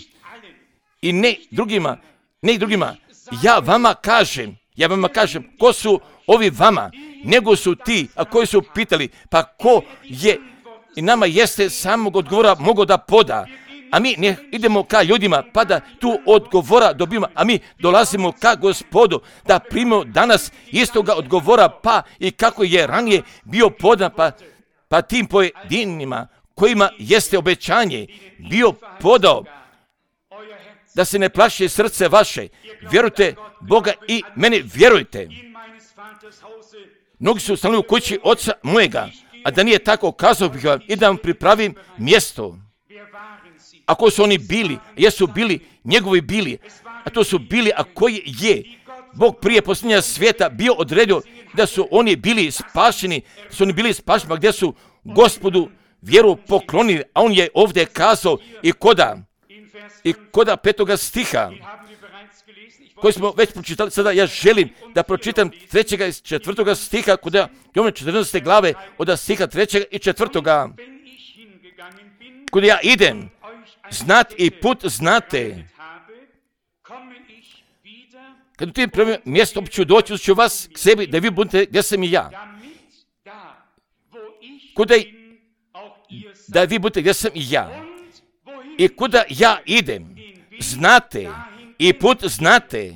i ne drugima, ne drugima, ja vama kažem, ja vama kažem, ko su ovi vama, nego su ti, a koji su pitali, pa ko je, i nama jeste samog odgovora mogo da poda, a mi ne idemo ka ljudima, pa da tu odgovora dobijemo, a mi dolazimo ka Gospodu, da primimo danas istoga odgovora, pa i kako je ranije bio podan, pa, pa tim pojedinima, kojima jeste obećanje bio podao, da se ne plaši srce vaše, vjerujte Boga i mene vjerujte. Mnogi su stali u kući oca mojega, a da nije tako, kazao bih vam i da vam pripravim mjesto. Ako su oni bili, jesu bili, njegovi bili, a to su bili, a koji je Bog prije posljednja svijeta bio odredio da su oni bili spašeni, su oni bili spašeni, pa gdje su Gospodu vjeru poklonili, a on je ovdje kazao i koda, i koda petoga stiha, koji smo već pročitali, sada ja želim da pročitam trećega i četvrtoga stiha, koda Jovana četrnaeste glave, od stiha trećega i četvrtoga. Kuda ja idem, znat i put znate. Kad u tim prvim mjestu ću doći, ću vas k sebi, da vi budete gdje sam i ja. kuda da vi budete gdje sam i ja. I kuda ja idem, znate, i put znate.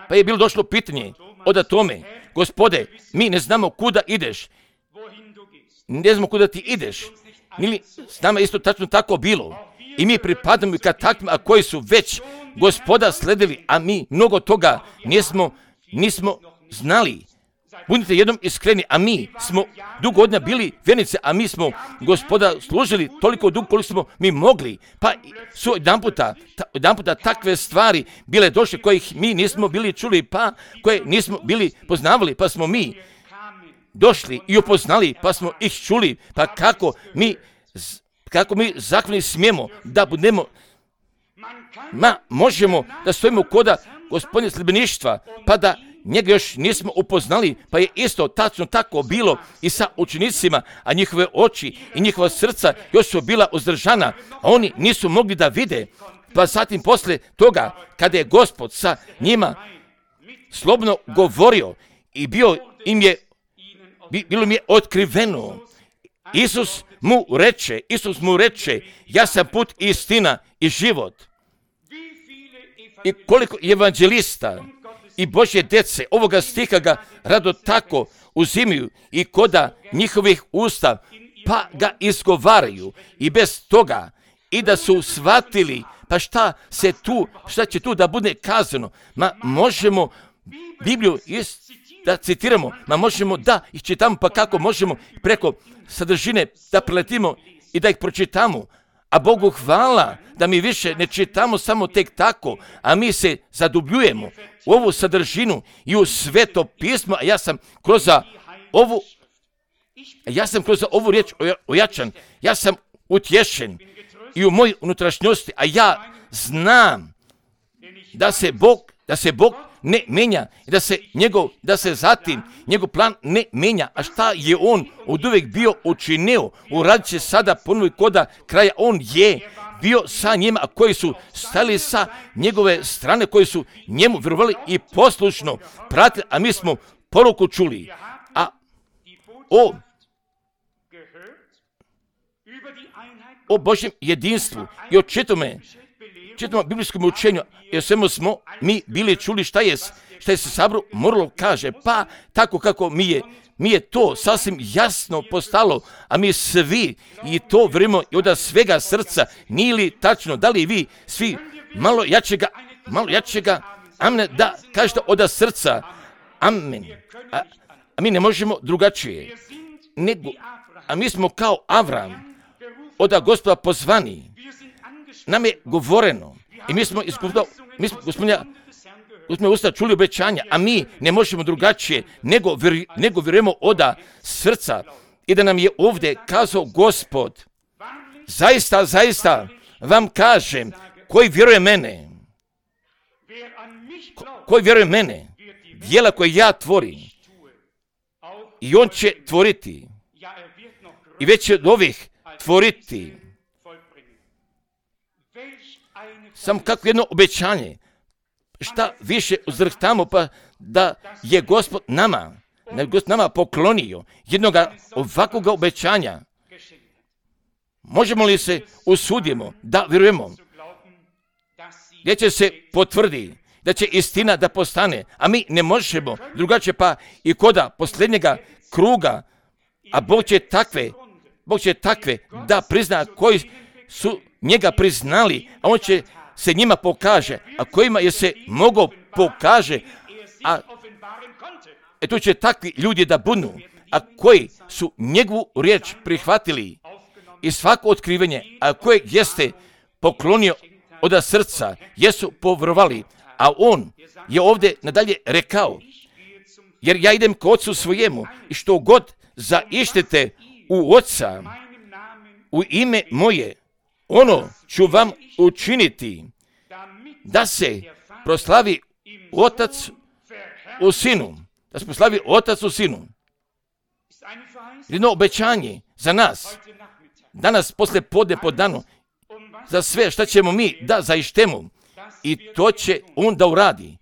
Pa je bilo došlo pitanje od tome, Gospode, mi ne znamo kuda ideš, ne znamo kuda ti ideš. Ili s nama isto tačno tako bilo. I mi pripadamo i kad takvima koji su već Gospoda sledili, a mi mnogo toga nismo, nismo znali. Budite jednom iskreni, a mi smo dugo godina bili vjernice, a mi smo Gospoda služili toliko dugo koliko smo mi mogli. Pa su jedan puta, ta, jedan puta takve stvari bile došle kojih mi nismo bili čuli, pa koje nismo bili poznavali, pa smo mi došli i upoznali, pa smo ih čuli, pa kako mi, kako mi zakoni smijemo da budemo, ma možemo da stojimo koda Gospodine sljedbeništva, pa da njega još nismo upoznali, pa je isto tačno tako bilo i sa učenicima, a njihove oči i njihova srca još su bila uzdržana, a oni nisu mogli da vide. Pa zatim posle toga, kada je Gospod sa njima slobodno govorio i bio im je, bilo im je otkriveno, Isus mu reče, Isus mu reče, ja sam put, istina i život. I koliko evanđelista i Božje djece ovoga stiha ga rado tako uzimaju i koda njihovih usta pa ga izgovaraju i bez toga i da su shvatili pa šta se tu, šta će tu da bude kazano. Ma možemo Bibliju ist, da citiramo, ma možemo da ih čitamo, pa kako možemo preko sadržine da preletimo i da ih pročitamo. A Bogu hvala da mi više ne čitamo samo tek tako, a mi se zadubljujemo u ovu sadržinu i u Sveto pismo, a ja sam kroz ovu, ja sam kroz ovu riječ ojačan, ja sam utješen i u mojoj unutrašnjosti, a ja znam da se Bog, da se Bog ne menja i da se njegov, da se zatim njegov plan ne menja, a šta je on oduvijek bio učinio, uradit će sada ponovi koda kraja, on je bio sa njima, a koji su stali sa njegove strane, koji su njemu vjerovali i poslušno pratili, a mi smo poruku čuli, a o, o Božjem jedinstvu i o čitome, čitamo biblijskom učenju, jer svemu smo mi bili čuli šta je, šta je se sabru moralo kaže, pa tako kako mi je, mi je to sasvim jasno postalo, a mi svi i to vjerujemo i od svega srca, nije li tačno, da li vi svi malo jačega, malo jačega, amen, da kažete od srca, amen, a, a mi ne možemo drugačije, nego, a mi smo kao Avram, od Gospoda pozvani, nam je govoreno i mi smo iz mi smo gospodina gospodina usta čuli obećanja, a mi ne možemo drugačije nego, vjer, nego vjerujemo od srca i da nam je ovdje kazao Gospod, zaista, zaista vam kažem, koji vjeruje mene, ko, koji vjeruje mene, djela koje ja tvorim, i on će tvoriti, i već će od ovih tvoriti. Samo kako jedno obećanje, šta više uzrhtamo, pa da je Gospod nama, da je Gospod nama poklonio jednoga ovakvog obećanja. Možemo li se usudimo da vjerujemo, gdje će se potvrdi, da će istina da postane, a mi ne možemo drugačije, pa i koda posljednjega kruga, a Bog će takve, Bog će takve da prizna koji su njega priznali, a on će se njima pokaže, a kojima je se mogao pokaže, a e tu će takvi ljudi da budu, a koji su njegovu riječ prihvatili i svako otkrivenje, a kojeg jeste poklonio od srca, jesu povjerovali, a on je ovdje nadalje rekao, jer ja idem k Otcu svojemu i što god zaištete u Oca, u ime moje, ono ću vam učiniti, da se proslavi Otac u Sinu, da se proslavi Otac u Sinu. Jedno obećanje za nas, danas posle podne po danu, za sve šta ćemo mi da zaištemo, i to će on da uradi,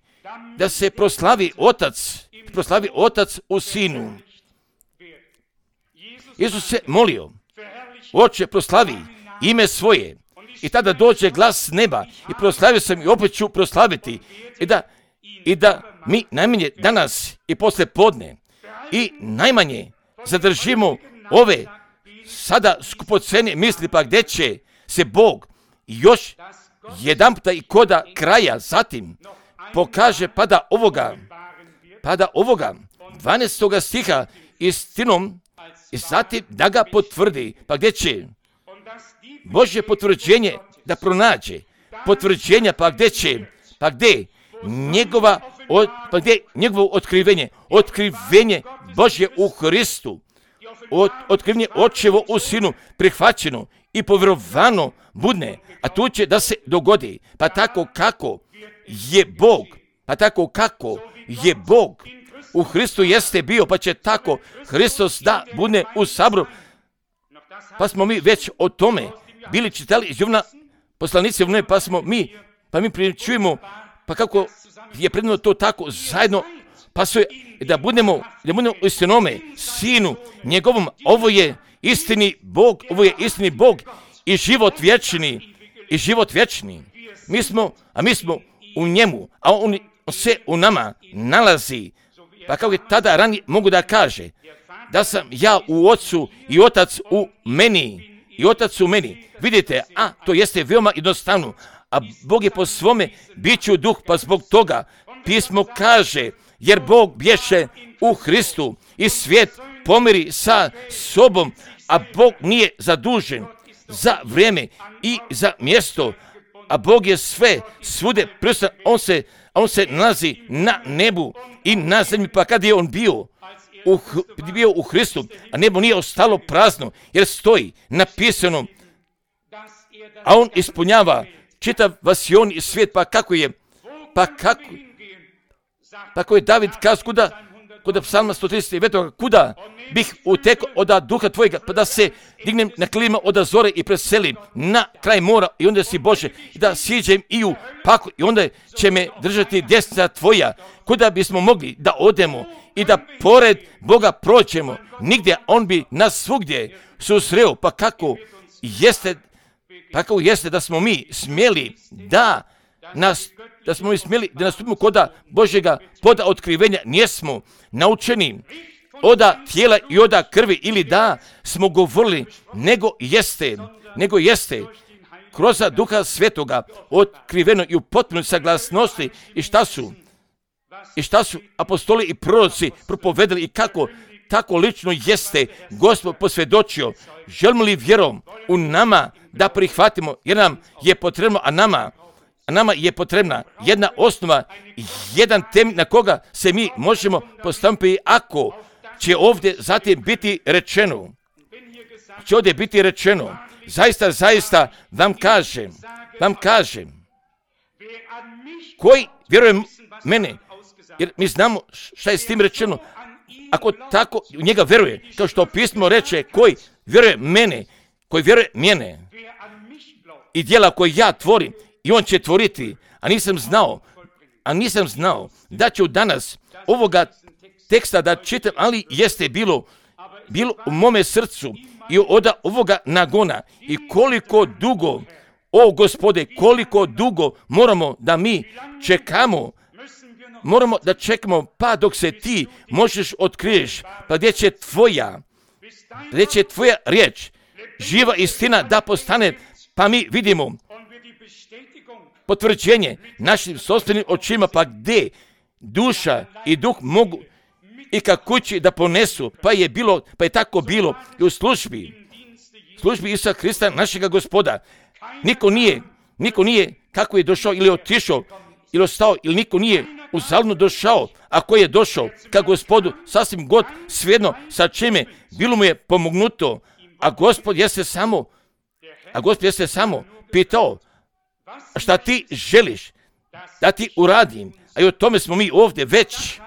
da se proslavi Otac, proslavi Otac u Sinu. Isus se molio, Oče, proslavi ime svoje. I tada dođe glas s neba i proslavio sam i opet ću proslaviti. I da, i da mi najmanje danas i posle podne i najmanje zadržimo ove sada skupocene misli, pa gdje će se Bog još jedan puta i koda kraja zatim pokaže pada ovoga, pada ovoga dvanaestoga stiha istinom i zatim da ga potvrdi, pa gdje će Božje potvrđenje da pronađe, potvrđenja, pa gdje će, pa gdje njegova, od, pa gdje njegovo otkrivenje, otkrivenje Božje u Hristu, od, otkrivenje Očevo u Sinu prihvaćeno i povjerovano budne, a tu će da se dogodi, pa tako kako je Bog, pa tako kako je Bog u Hristu jeste bio, pa će tako Hristos da budne u sabru. Pa smo mi već o tome bili čitali iz Jovana poslanici Jovane, pa smo mi, pa mi pričujemo, pa kako je predano to tako zajedno, pa sve da budemo, da budemo u istinome Sinu njegovom, ovo je istini Bog, ovo je istini Bog i život vječni, i život vječni. Mi smo, a mi smo u njemu, a on se u nama nalazi, pa kako je tada ranije mogu da kaže, da sam ja u Otcu i Otac u meni, i Otac u meni. Vidite, a to jeste veoma jednostavno, a Bog je po svome biću duh, pa zbog toga pismo kaže, jer Bog bješe u Hristu i svijet pomiri sa sobom, a Bog nije zadužen za vrijeme i za mjesto, a Bog je sve svude prisutan, on se, on se nalazi na nebu i na zemlji, pa kad je on bio U, bio u Hristu, a nebo nije ostalo prazno, jer stoji napisano, a on ispunjava čitav vasion i svijet, pa kako je, pa kako, pa kako je David kazao, kuda, kuda psalma sto trideset devet, kuda bih utekao od duha tvojega, pa da se dignem na krilima od zore i preselim na kraj mora, i onda si Bože, i da siđem i u paklu, i onda će me držati desnica tvoja, kuda bismo mogli da odemo i da pored Boga prođemo, nigdje, on bi nas svugdje susreo, pa kako jeste, pa kako jeste da smo mi smjeli da nas, da smo mi smjeli da nastupimo koda Božjega poda otkrivenja, nijesmo naučeni oda tijela i oda krvi, ili da smo govorili, nego jeste, nego jeste kroz Duha Svetoga otkriveno i u potpunoj saglasnosti. I šta su? I šta su apostoli i proroci propovedali i kako tako lično jeste Gospod posvjedočio. Želimo li vjerom u nama da prihvatimo, jer nam je potrebno, a nama, a nama je potrebna jedna osnova, jedan temelj na koga se mi možemo postaviti, ako će ovdje zatim biti rečeno, će ovdje biti rečeno, zaista, zaista vam kažem, vam kažem, koji vjeruje mene, jer mi znamo šta je s tim rečeno, ako tako u njega vjeruje, kao što pismo reče, koji vjeruje mene, koji vjeruje mene i djela koje ja tvorim, i on će tvoriti, a nisam znao, a nisam znao da ću danas ovoga teksta da čitam, ali jeste bilo, bilo u mome srcu i od ovoga nagona, i koliko dugo, o Gospode, koliko dugo moramo da mi čekamo, moramo da čekamo, pa dok se ti možeš otkriješ, pa gdje će tvoja, gdje će tvoja riječ, živa istina da postane, pa mi vidimo potvrđenje našim sopstvenim očima, pa gdje duša i duh mogu i ka kući da ponesu, pa je bilo, pa je tako bilo i u službi, službi Isusa Hrista, našega Gospoda. Niko nije, niko nije kako je došao ili otišao ili ostao, ili niko nije uzaludno došao, ako je došao ka Gospodu, sasvim god svejedno sa čime bilo mu je pomognuto, a Gospod jeste samo, a Gospod jeste samo pitao, šta ti želiš da ti uradim, a i o tome smo mi ovdje već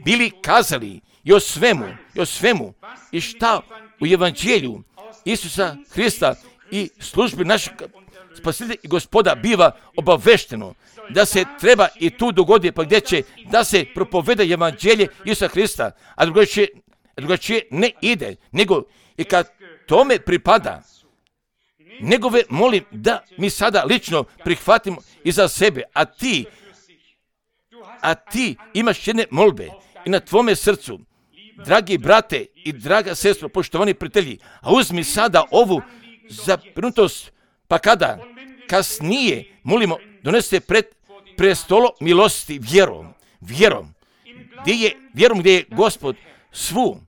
bili kazali, i o svemu, i o svemu, i šta u evanđelju Isusa Hrista i službi našeg Spasitelja i Gospoda biva obavešteno, da se treba i tu dogoditi, pa gdje će da se propoveda evanđelje Isusa Hrista, a drugačije, drugačije ne ide, nego I kad tome pripada, njegove molim da mi sada lično prihvatimo i za sebe, a ti, a ti imaš jedne molbe i na tvome srcu, dragi brate i draga sestro, poštovani prijatelji, a uzmi sada ovu zabrinutost, pa kada kasnije molimo, donese pred prestolo milosti vjerom, vjerom, gdje je, vjerom gdje je Gospod svu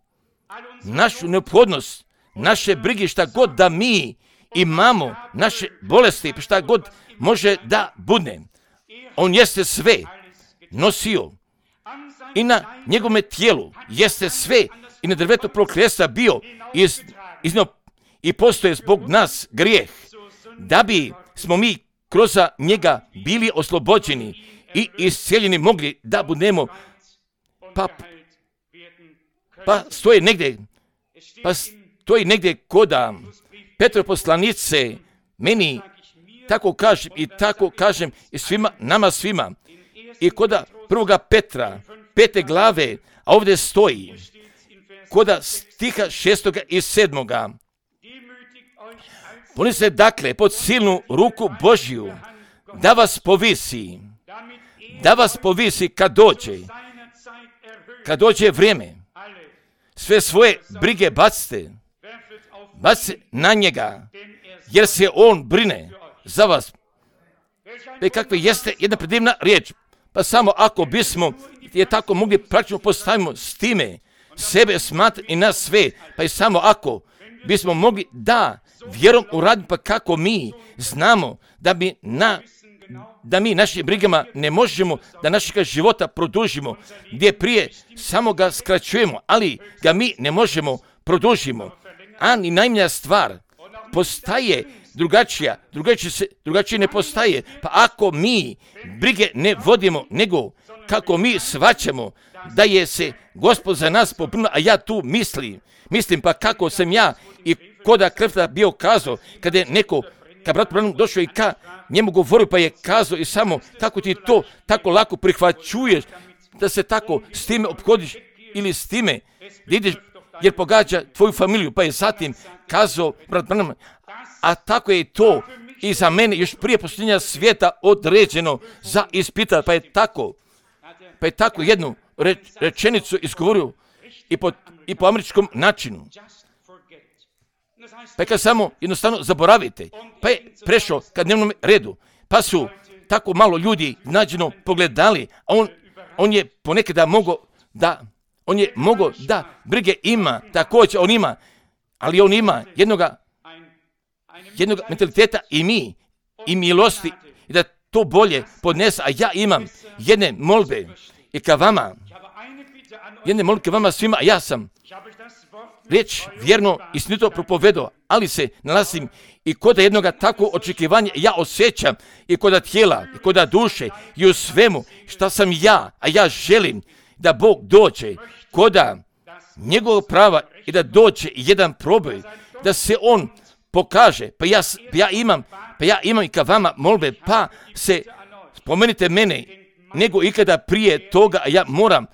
našu neophodnost, naše brige, šta god da mi imamo, naše bolesti, šta god može da bude. On jeste sve nosio i na njegovome tijelu jeste sve i na drvetu proklesa bio iz, iznio i postoje zbog nas grijeh, da bi smo mi kroz njega bili oslobođeni i iscijeljeni mogli da budemo, pa, pa stoje negdje, pa stoji negdje koda Petrove poslanice, meni tako kažem i tako kažem i svima, nama svima, i koda prvoga Petra, pete glave, a ovdje stoji, koda stiha šestoga i sedmoga, ponese dakle pod silnu ruku Božju, da vas povisi, da vas povisi kad dođe, kad dođe vrijeme, sve svoje brige bacite, bacite na njega, jer se on brine za vas. I kakve jeste jedna predivna riječ, pa samo ako bismo je tako mogli praktično postavimo s time sebe smatrati i nas sve, pa i samo ako bismo mogli da vjerom uraditi, pa kako mi znamo da bi na da mi našim brigama ne možemo da našega života produžimo, gdje prije samo ga skraćujemo, ali ga mi ne možemo produžimo. A ni najmanja stvar postaje drugačija, drugačije, se, drugačije ne postaje. Pa ako mi brige ne vodimo, nego kako mi shvaćamo da je se Gospod za nas pobrinuo, a ja tu mislim, mislim pa kako sam ja i koda Krefta bio kazao, kada je neko, kad brat Branham došao i ka njemu govorio, pa je kazao i samo kako ti to tako lako prihvaćuješ, da se tako s time ophodiš ili s time da ideš, jer pogađa tvoju familiju, pa je zatim kazao brat Branham, a tako je to i za mene još prije posljednja svijeta određeno za ispitat, pa je tako, pa je tako jednu reč, rečenicu izgovorio i po, i po američkom načinu. Pa je kad samo jednostavno zaboravite, pa je prešao ka dnevnom redu, pa su tako malo ljudi nađeno pogledali, a on, on je ponekada mogao da, on je mogao da brige ima, također on ima, ali on ima jednoga, jednoga mentaliteta i mi, i milosti, i da to bolje podnese, a ja imam jedne molbe i ka vama, jedne molbe ka vama svima, a ja sam riječ vjerno i istinito propovedao, ali se nalazim i kod jednoga takvog očekivanja ja osjećam i kod tijela, i kod duše, i u svemu šta sam ja, a ja želim da Bog dođe koda njegovog prava i da dođe jedan proboj, da se on pokaže, pa ja, pa ja imam, pa ja imam i ka vama molbe, pa se spomenite mene nego ikada prije toga, a ja moram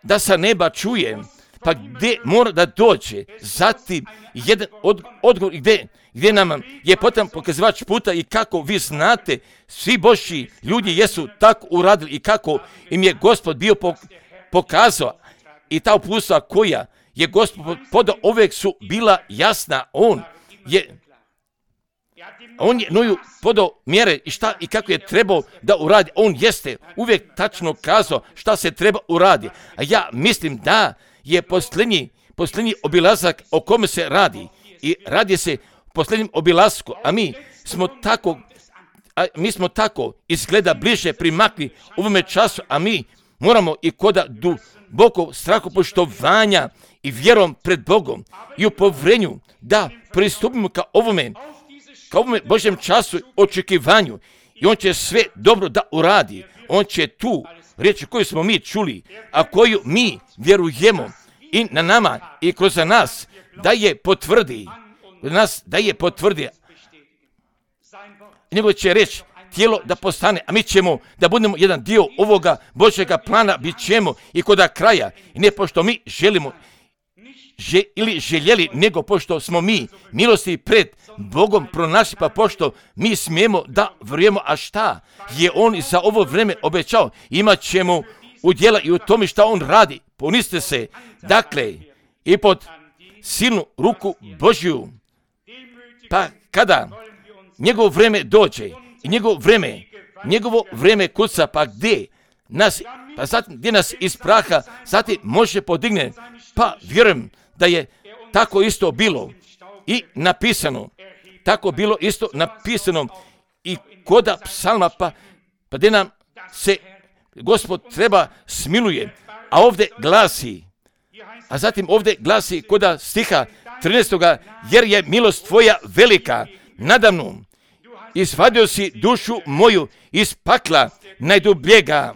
da sa neba čujem, pa gdje mora da dođe, zatim jedan od, odgovor gdje, gdje nam je potreban pokazivač puta i kako vi znate, svi Božji ljudi jesu tako uradili i kako im je Gospod bio pokazao i ta uputstva koja je Gospod podao uvijek su bila jasna, on je On je Noju podao mjere i šta i kako je trebao da uradi. On jeste uvijek tačno kazao šta se treba uradi. A ja mislim da je posljednji, posljednji obilazak o kome se radi. I radi se posljednjem obilasku. A mi smo tako, a mi smo tako izgleda bliže primakli u ovome času. A mi moramo i koda duboko strahopoštovanja i vjerom pred Bogom i u povrenju da pristupimo ka ovome ka ovome Božjem času očekivanju i on će sve dobro da uradi. On će tu riječi koju smo mi čuli, a koju mi vjerujemo i na nama i kroz nas da je potvrdi, nas da je potvrdi. Nego će reći tijelo da postane, a mi ćemo da budemo jedan dio ovoga Božjega plana, bit ćemo i koda kraja. I ne pošto mi želimo že, ili željeli, nego pošto smo mi milosti pred Bogom pronašli, pa pošto mi smijemo da vjerujemo, a šta je On za ovo vrijeme obećao, imat ćemo udjela i u tome šta On radi. Poniste se, dakle, i pod silnu ruku Božju, pa kada njegovo vrijeme dođe i njegovo vrijeme, njegovo vrijeme kuca, pa gdje nas, pa zatim gdje nas iz praha, zatim može podigne, pa vjerujem da je tako isto bilo i napisano, tako bilo isto napisano i koda psalma, pa, pa gdje nam se Gospod treba smiluje, a ovdje glasi, a zatim ovdje glasi koda stiha trinaestoga jer je milost tvoja velika nadamnom, izvadio si dušu moju iz pakla najdubljega.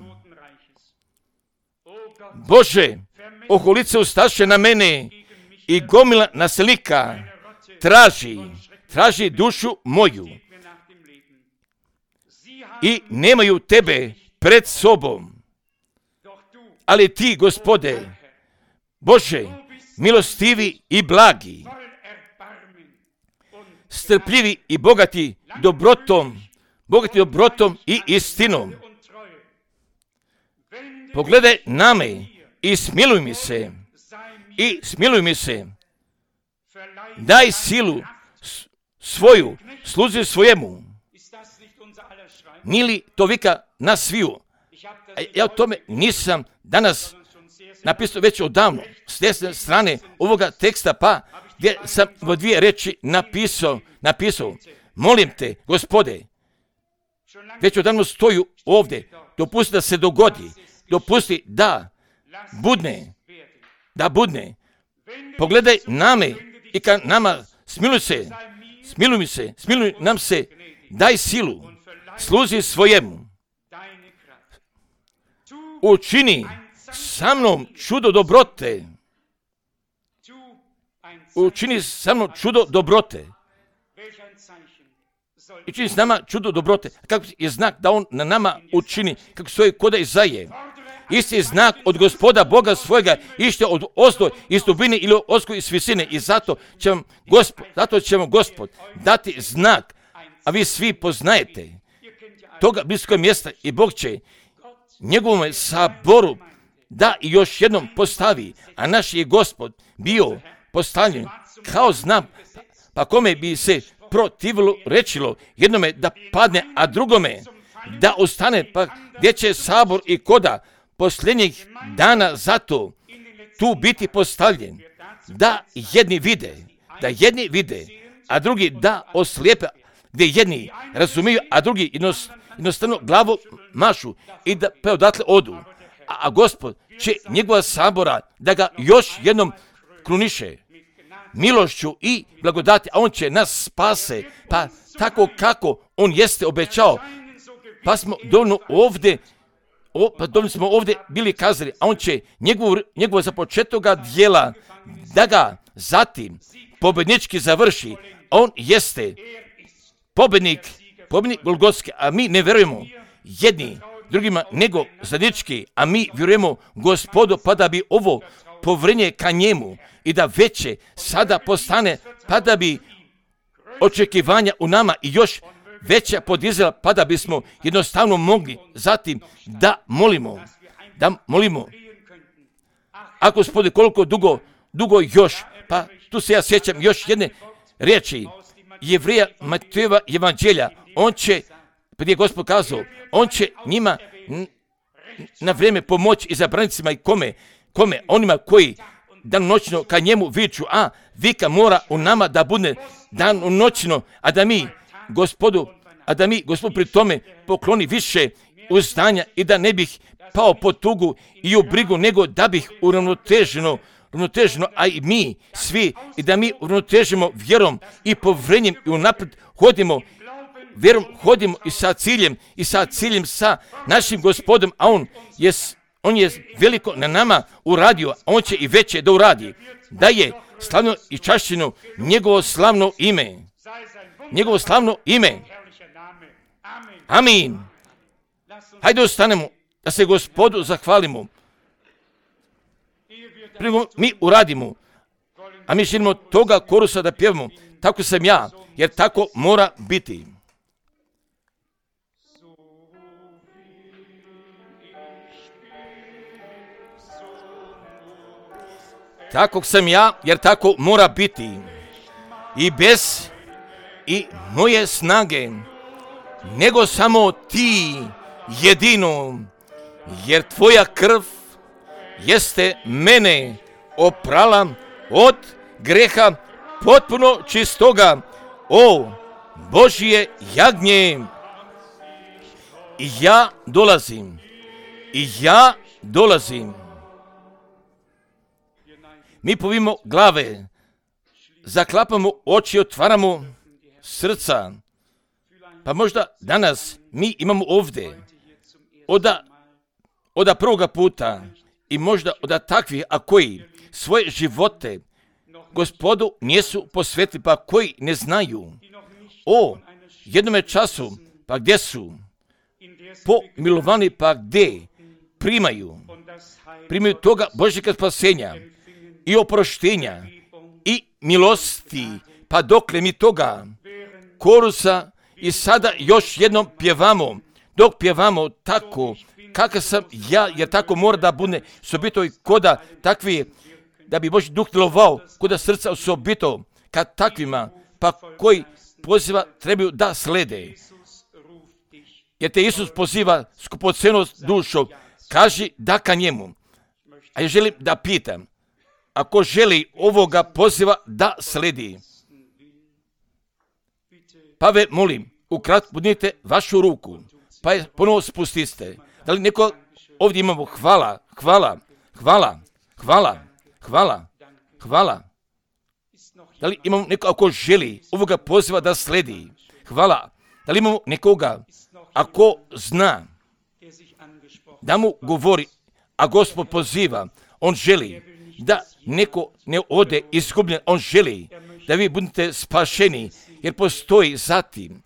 Bože, oholice ustaše na mene i gomila naslika traži, traži dušu moju i nemaju tebe pred sobom. Ali ti, Gospode, Bože, milostivi i blagi, strpljivi i bogati dobrotom, bogati dobrotom i istinom. Pogledaj na me i smiluj mi se, i smiluj mi se. Daj silu svoju, sluzi svojemu. Nije li to vika na sviju? A ja o tome nisam danas napisao već odavno, s desne strane ovoga teksta, pa gdje sam u dvije reči napisao, napisao, molim te, Gospode, već odavno stoju ovdje, dopusti da se dogodi, dopusti da budne, da budne. Pogledaj na me i ka nama, smiluj se, smiluj mi se, smiluj nam se, daj silu, služi svojemu. Učini sa mnom čudo dobrote. Učini sa mnom čudo dobrote. I čini s nama čudo dobrote. Kako je znak da On na nama učini, kako stoji koda Izaije. Isti znak od Gospoda Boga svojega ište od ozdo iz dubine ili osko iz visine. I zato će vam Gospod, zato će vam Gospod dati znak, a vi svi poznajete toga bliskog mjesta i Bog će njegovom saboru da i još jednom postavi, a naš je Gospod bio postavljen kao znak, pa kome bi se protivilo rečilo jednome da padne, a drugome da ostane, pa gdje će sabor i koda posljednjih dana zato tu biti postavljen, da jedni vide, da jedni vide, a drugi da oslijepe, gdje jedni razumiju, a drugi jednostavno glavu mašu i da pa odatle odu. A, a Gospod će njegova sabora da ga još jednom kruniše milošću i blagodati, a On će nas spase, pa tako kako On jeste obećao, pa smo dovoljno ovdje, o, pa dovoljno smo ovdje bili kazali, a On će njegovo, njegovo započetoga dijela da ga zatim pobjednički završi. On jeste pobjednik, pobjednik Golgotski, a mi ne vjerujemo jedni drugima nego zadnički, a mi vjerujemo Gospodu, pa da bi ovo povrenje ka njemu i da veće sada postane, pa da bi očekivanja u nama i još veća podizela, pa da bismo jednostavno mogli zatim da molimo, da molimo. A Gospode, koliko dugo, dugo još, pa tu se ja sjećam još jedne riječi Jevrija Matejeva evanđelja, on će, pa je Gospod kazao, on će njima na vrijeme pomoći i zabranicima i kome, kome, onima koji danonoćno ka njemu viču, a vika mora u nama da bude danonoćno, a da mi, Gospodu, a da mi, Gospod, pri tome pokloni više uzdanja i da ne bih pao po tugu i u brigu, nego da bih uravnoteženo, uravnoteženo, a i mi svi, i da mi uravnotežimo vjerom i povrenjem i unaprijed hodimo, vjerom hodimo i sa ciljem, i sa ciljem sa našim Gospodom, a On je, on je veliko na nama uradio, a On će i veće da uradi, da je slavno i čašćeno njegovo slavno ime, njegovo slavno ime. Amin. Hajde ostanemo da se Gospodu zahvalimo. Prvo mi uradimo, A mi želimo toga korusa da pjevamo. Tako sam ja, jer tako mora biti. Tako sam ja, jer tako mora biti. I bez i moje snage, nego samo ti jedino, jer tvoja krv jeste mene oprala od greha potpuno čistoga, o Božje jagnje. I ja dolazim, i ja dolazim. Mi povimo glave, zaklapamo oči, otvaramo srca. Pa možda danas mi imamo ovdje oda, oda prvoga puta i možda oda takvih, a koji svoje živote Gospodu nisu posvetili, pa koji ne znaju o jednome času, pa gdje su pomilovani, pa gdje primaju, primaju toga Božjega spasenja i oproštenja i milosti, pa dokle mi toga korusa i sada još jednom pjevamo, dok pjevamo tako, kakav sam ja, jer tako mora da bude sobito i koda takvi, da bi Božji duh djelovao koda srca osobito, kad takvima, pa koji poziva trebaju da slede. Jer te Isus poziva skupocenu dušo, kaži da ka njemu. A ja želim da pitam, ako želi ovoga poziva da sledi, pa ve molim, ukratko budite vašu ruku, pa je ponovo spustiste. Da li neko ovdje imamo hvala, hvala, hvala, hvala, hvala, hvala. Da li imamo neko ako želi ovoga poziva da sledi? Hvala. Da li imamo nekoga ako zna da mu govori, a Gospod poziva, on želi da neko ne ode izgubljen, on želi da vi budete spašeni, jer postoji zatim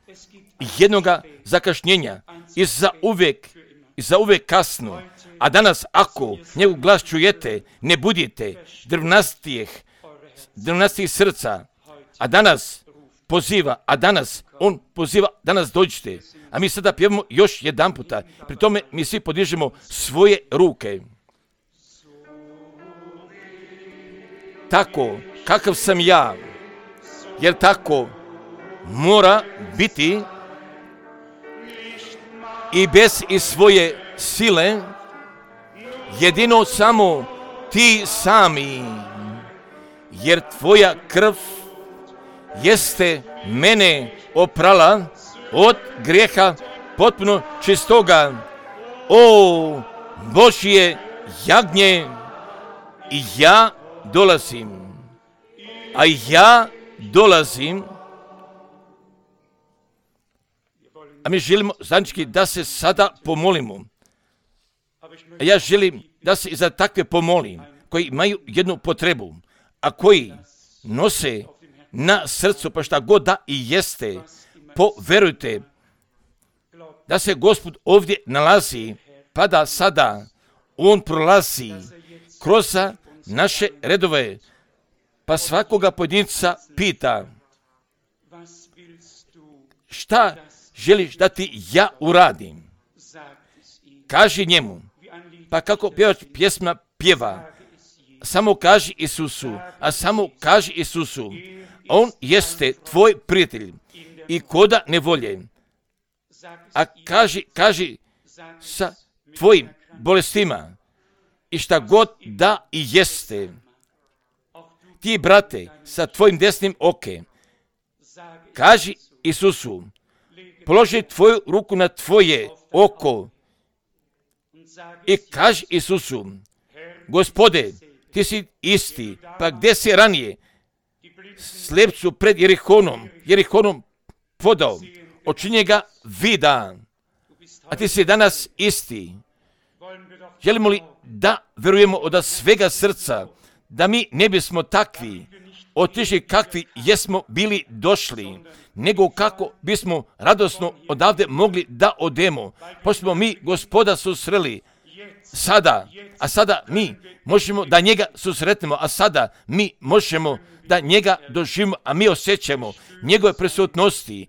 jednoga zakašnjenja i za uvijek, i za uvijek kasno. A danas ako njegov glas čujete, ne budite drvnastijih, drvnastijih srca, a danas poziva, a danas on poziva, danas dođite. A mi sada pjevamo još jedan puta, pri tome mi svi podižemo svoje ruke. Tako, kakav sam ja, jer tako mora biti i bez i svoje sile, jedino samo ti sami, jer tvoja krv jeste mene oprala od grijeha potpuno čistoga, o Božje jagnje. I ja dolazim, a ja dolazim, a mi želimo zajednički da se sada pomolimo. A ja želim da se i za takve pomolim, koji imaju jednu potrebu, a koji nose na srcu, pa šta god da i jeste, poverujte da se Gospod ovdje nalazi, pa da sada on prolazi kroz naše redove, pa svakoga pojedinca pita, šta želiš da ti ja uradim? Kaži njemu, pa kako pjevač pjesma pjeva, samo kaži Isusu, a samo kaži Isusu, on jeste tvoj prijatelj i koda nevolje, a kaži, kaži sa tvojim bolestima i šta god da i jeste. Ti, brate, sa tvojim desnim oke, kaži Isusu, položi tvoju ruku na tvoje oko i kaži Isusu, Gospode, ti si isti, pa gdje si ranije slepcu pred Jerihonom, Jerihonom podao, očinje ga vida, a ti si danas isti. Želimo li da verujemo od svega srca, da mi ne bismo takvi otišli kakvi jesmo bili došli, nego kako bismo radosno odavde mogli da odemo, pošto smo mi Gospoda susreli sada, a sada mi možemo da njega susretnemo, a sada mi možemo da njega doživimo, a mi osjećamo njegove prisutnosti.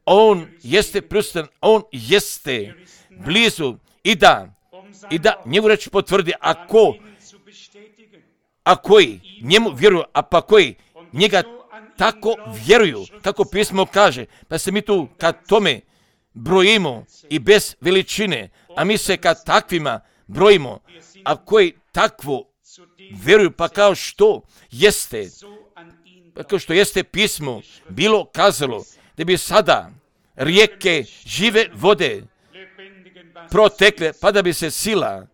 On jeste prisutan, on jeste blizu i da, i da njegovu reč potvrdi, a ko, a koji njemu vjeruju, a pa koji njega tako vjeruju, kako pismo kaže, pa se mi tu kad tome brojimo i bez veličine, a mi se kad takvima brojimo, a koji takvo vjeruju, pa kao što jeste, pa kao što jeste pismo bilo kazalo, da bi sada rijeke žive vode protekle, pa da bi se sila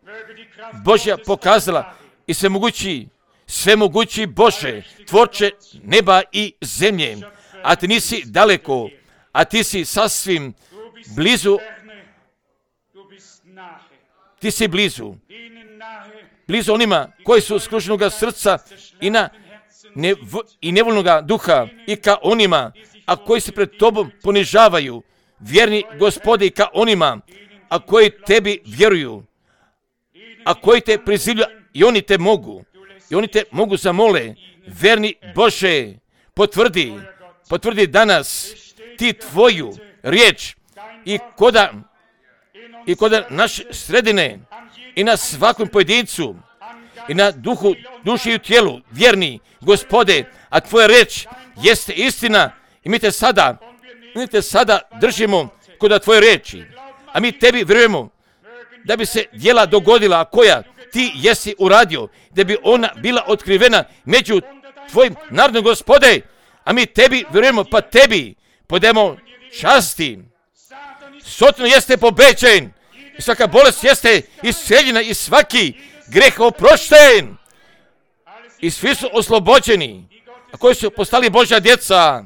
Božja pokazala i sve mogući, sve mogući Bože, tvorče neba i zemlje, a ti nisi daleko, a ti si sasvim blizu, ti si blizu, blizu onima koji su skrušenoga srca i, na nev, i nevoljnoga duha, i ka onima, a koji se pred tobom ponižavaju, vjerni Gospode, i ka onima, a koji tebi vjeruju, a koji te prizivljuju, i oni te mogu, i oni te mogu zamole, verni Bože, potvrdi, potvrdi danas ti tvoju riječ i koda, i koda naše sredine, i na svakom pojedincu, i na duhu, duši i tijelu, vjerni Gospode, a tvoja riječ jeste istina, i mi te sada, mi te sada držimo kod tvoje riječi, a mi tebi vjerujemo da bi se djela dogodila, a koja ti jesi uradio, da bi ona bila otkrivena među tvojim narodom, Gospode, a mi tebi vjerujemo, pa tebi podemo časti. Sotno jeste pobeđen, i svaka bolest jeste isceljena, i svaki greh oprošten, i svi su oslobođeni, a koji su postali Božja djeca.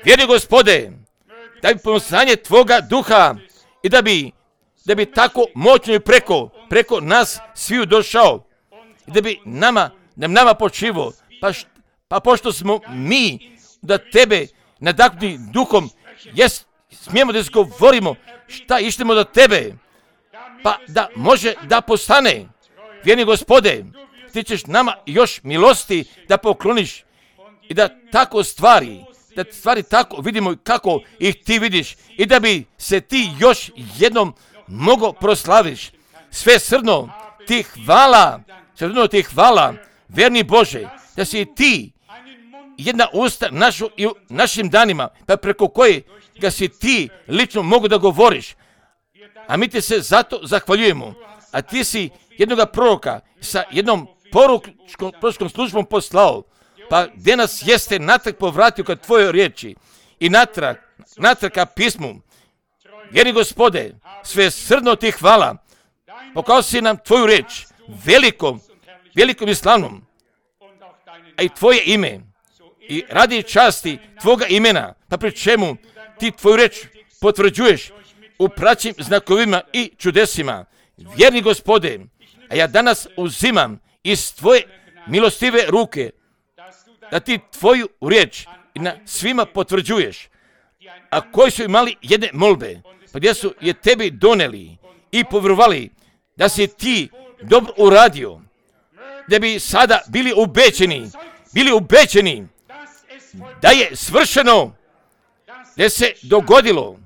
Vjeri, Gospode, da bi pomazanje tvoga duha i da bi, da bi tako moćno i preko, preko nas sviju došao, i da bi nama, da nama počivo, pa, št, pa pošto smo mi da tebe nadahnuti duhom, jes, smijemo da izgovorimo šta ištemo do tebe, pa da može da postane. Vjeni Gospode, ti ćeš nama još milosti da pokloniš i da tako stvari, da stvari tako vidimo kako ih ti vidiš, i da bi se ti još jednom mogo proslaviš. Sve srdno ti hvala, sve srdno ti hvala, verni Bože, da si ti jedna usta našu i u našim danima, pa preko koje ga si ti lično mogu da govoriš. A mi ti se zato zahvaljujemo. A ti si jednoga proroka sa jednom poručkom, poručkom službom poslao, pa gdje nas jeste natrag povratio kad tvojoj riječi i natrag, natrag ka pismu. Vjeri, Gospode, sve srdno ti hvala, pokazao si nam tvoju riječ, velikom, velikom i slavnom, a i tvoje ime, i radi časti tvoga imena, pa pri čemu ti tvoju riječ potvrđuješ u praćim znakovima i čudesima. Vjerni Gospode, a ja danas uzimam iz tvoje milostive ruke, da ti tvoju riječ i na svima potvrđuješ, a koji su imali jedne molbe, pa gdje su je tebi doneli i povjerovali da si ti dobro uradio, da bi sada bili ubeđeni, bili ubeđeni da je svršeno, da se dogodilo,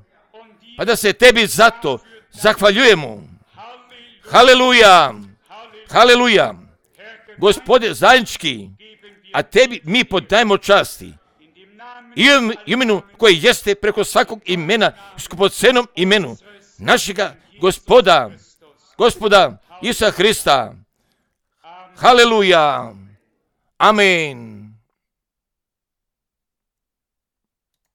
pa da se tebi zato zahvaljujemo. Haleluja, haleluja, Gospode zajednički, a tebi mi podajemo časti i imenu koje jeste preko svakog imena, skupocenom imenu našega Gospoda, Gospoda Isusa Hrista. Haleluja, amen.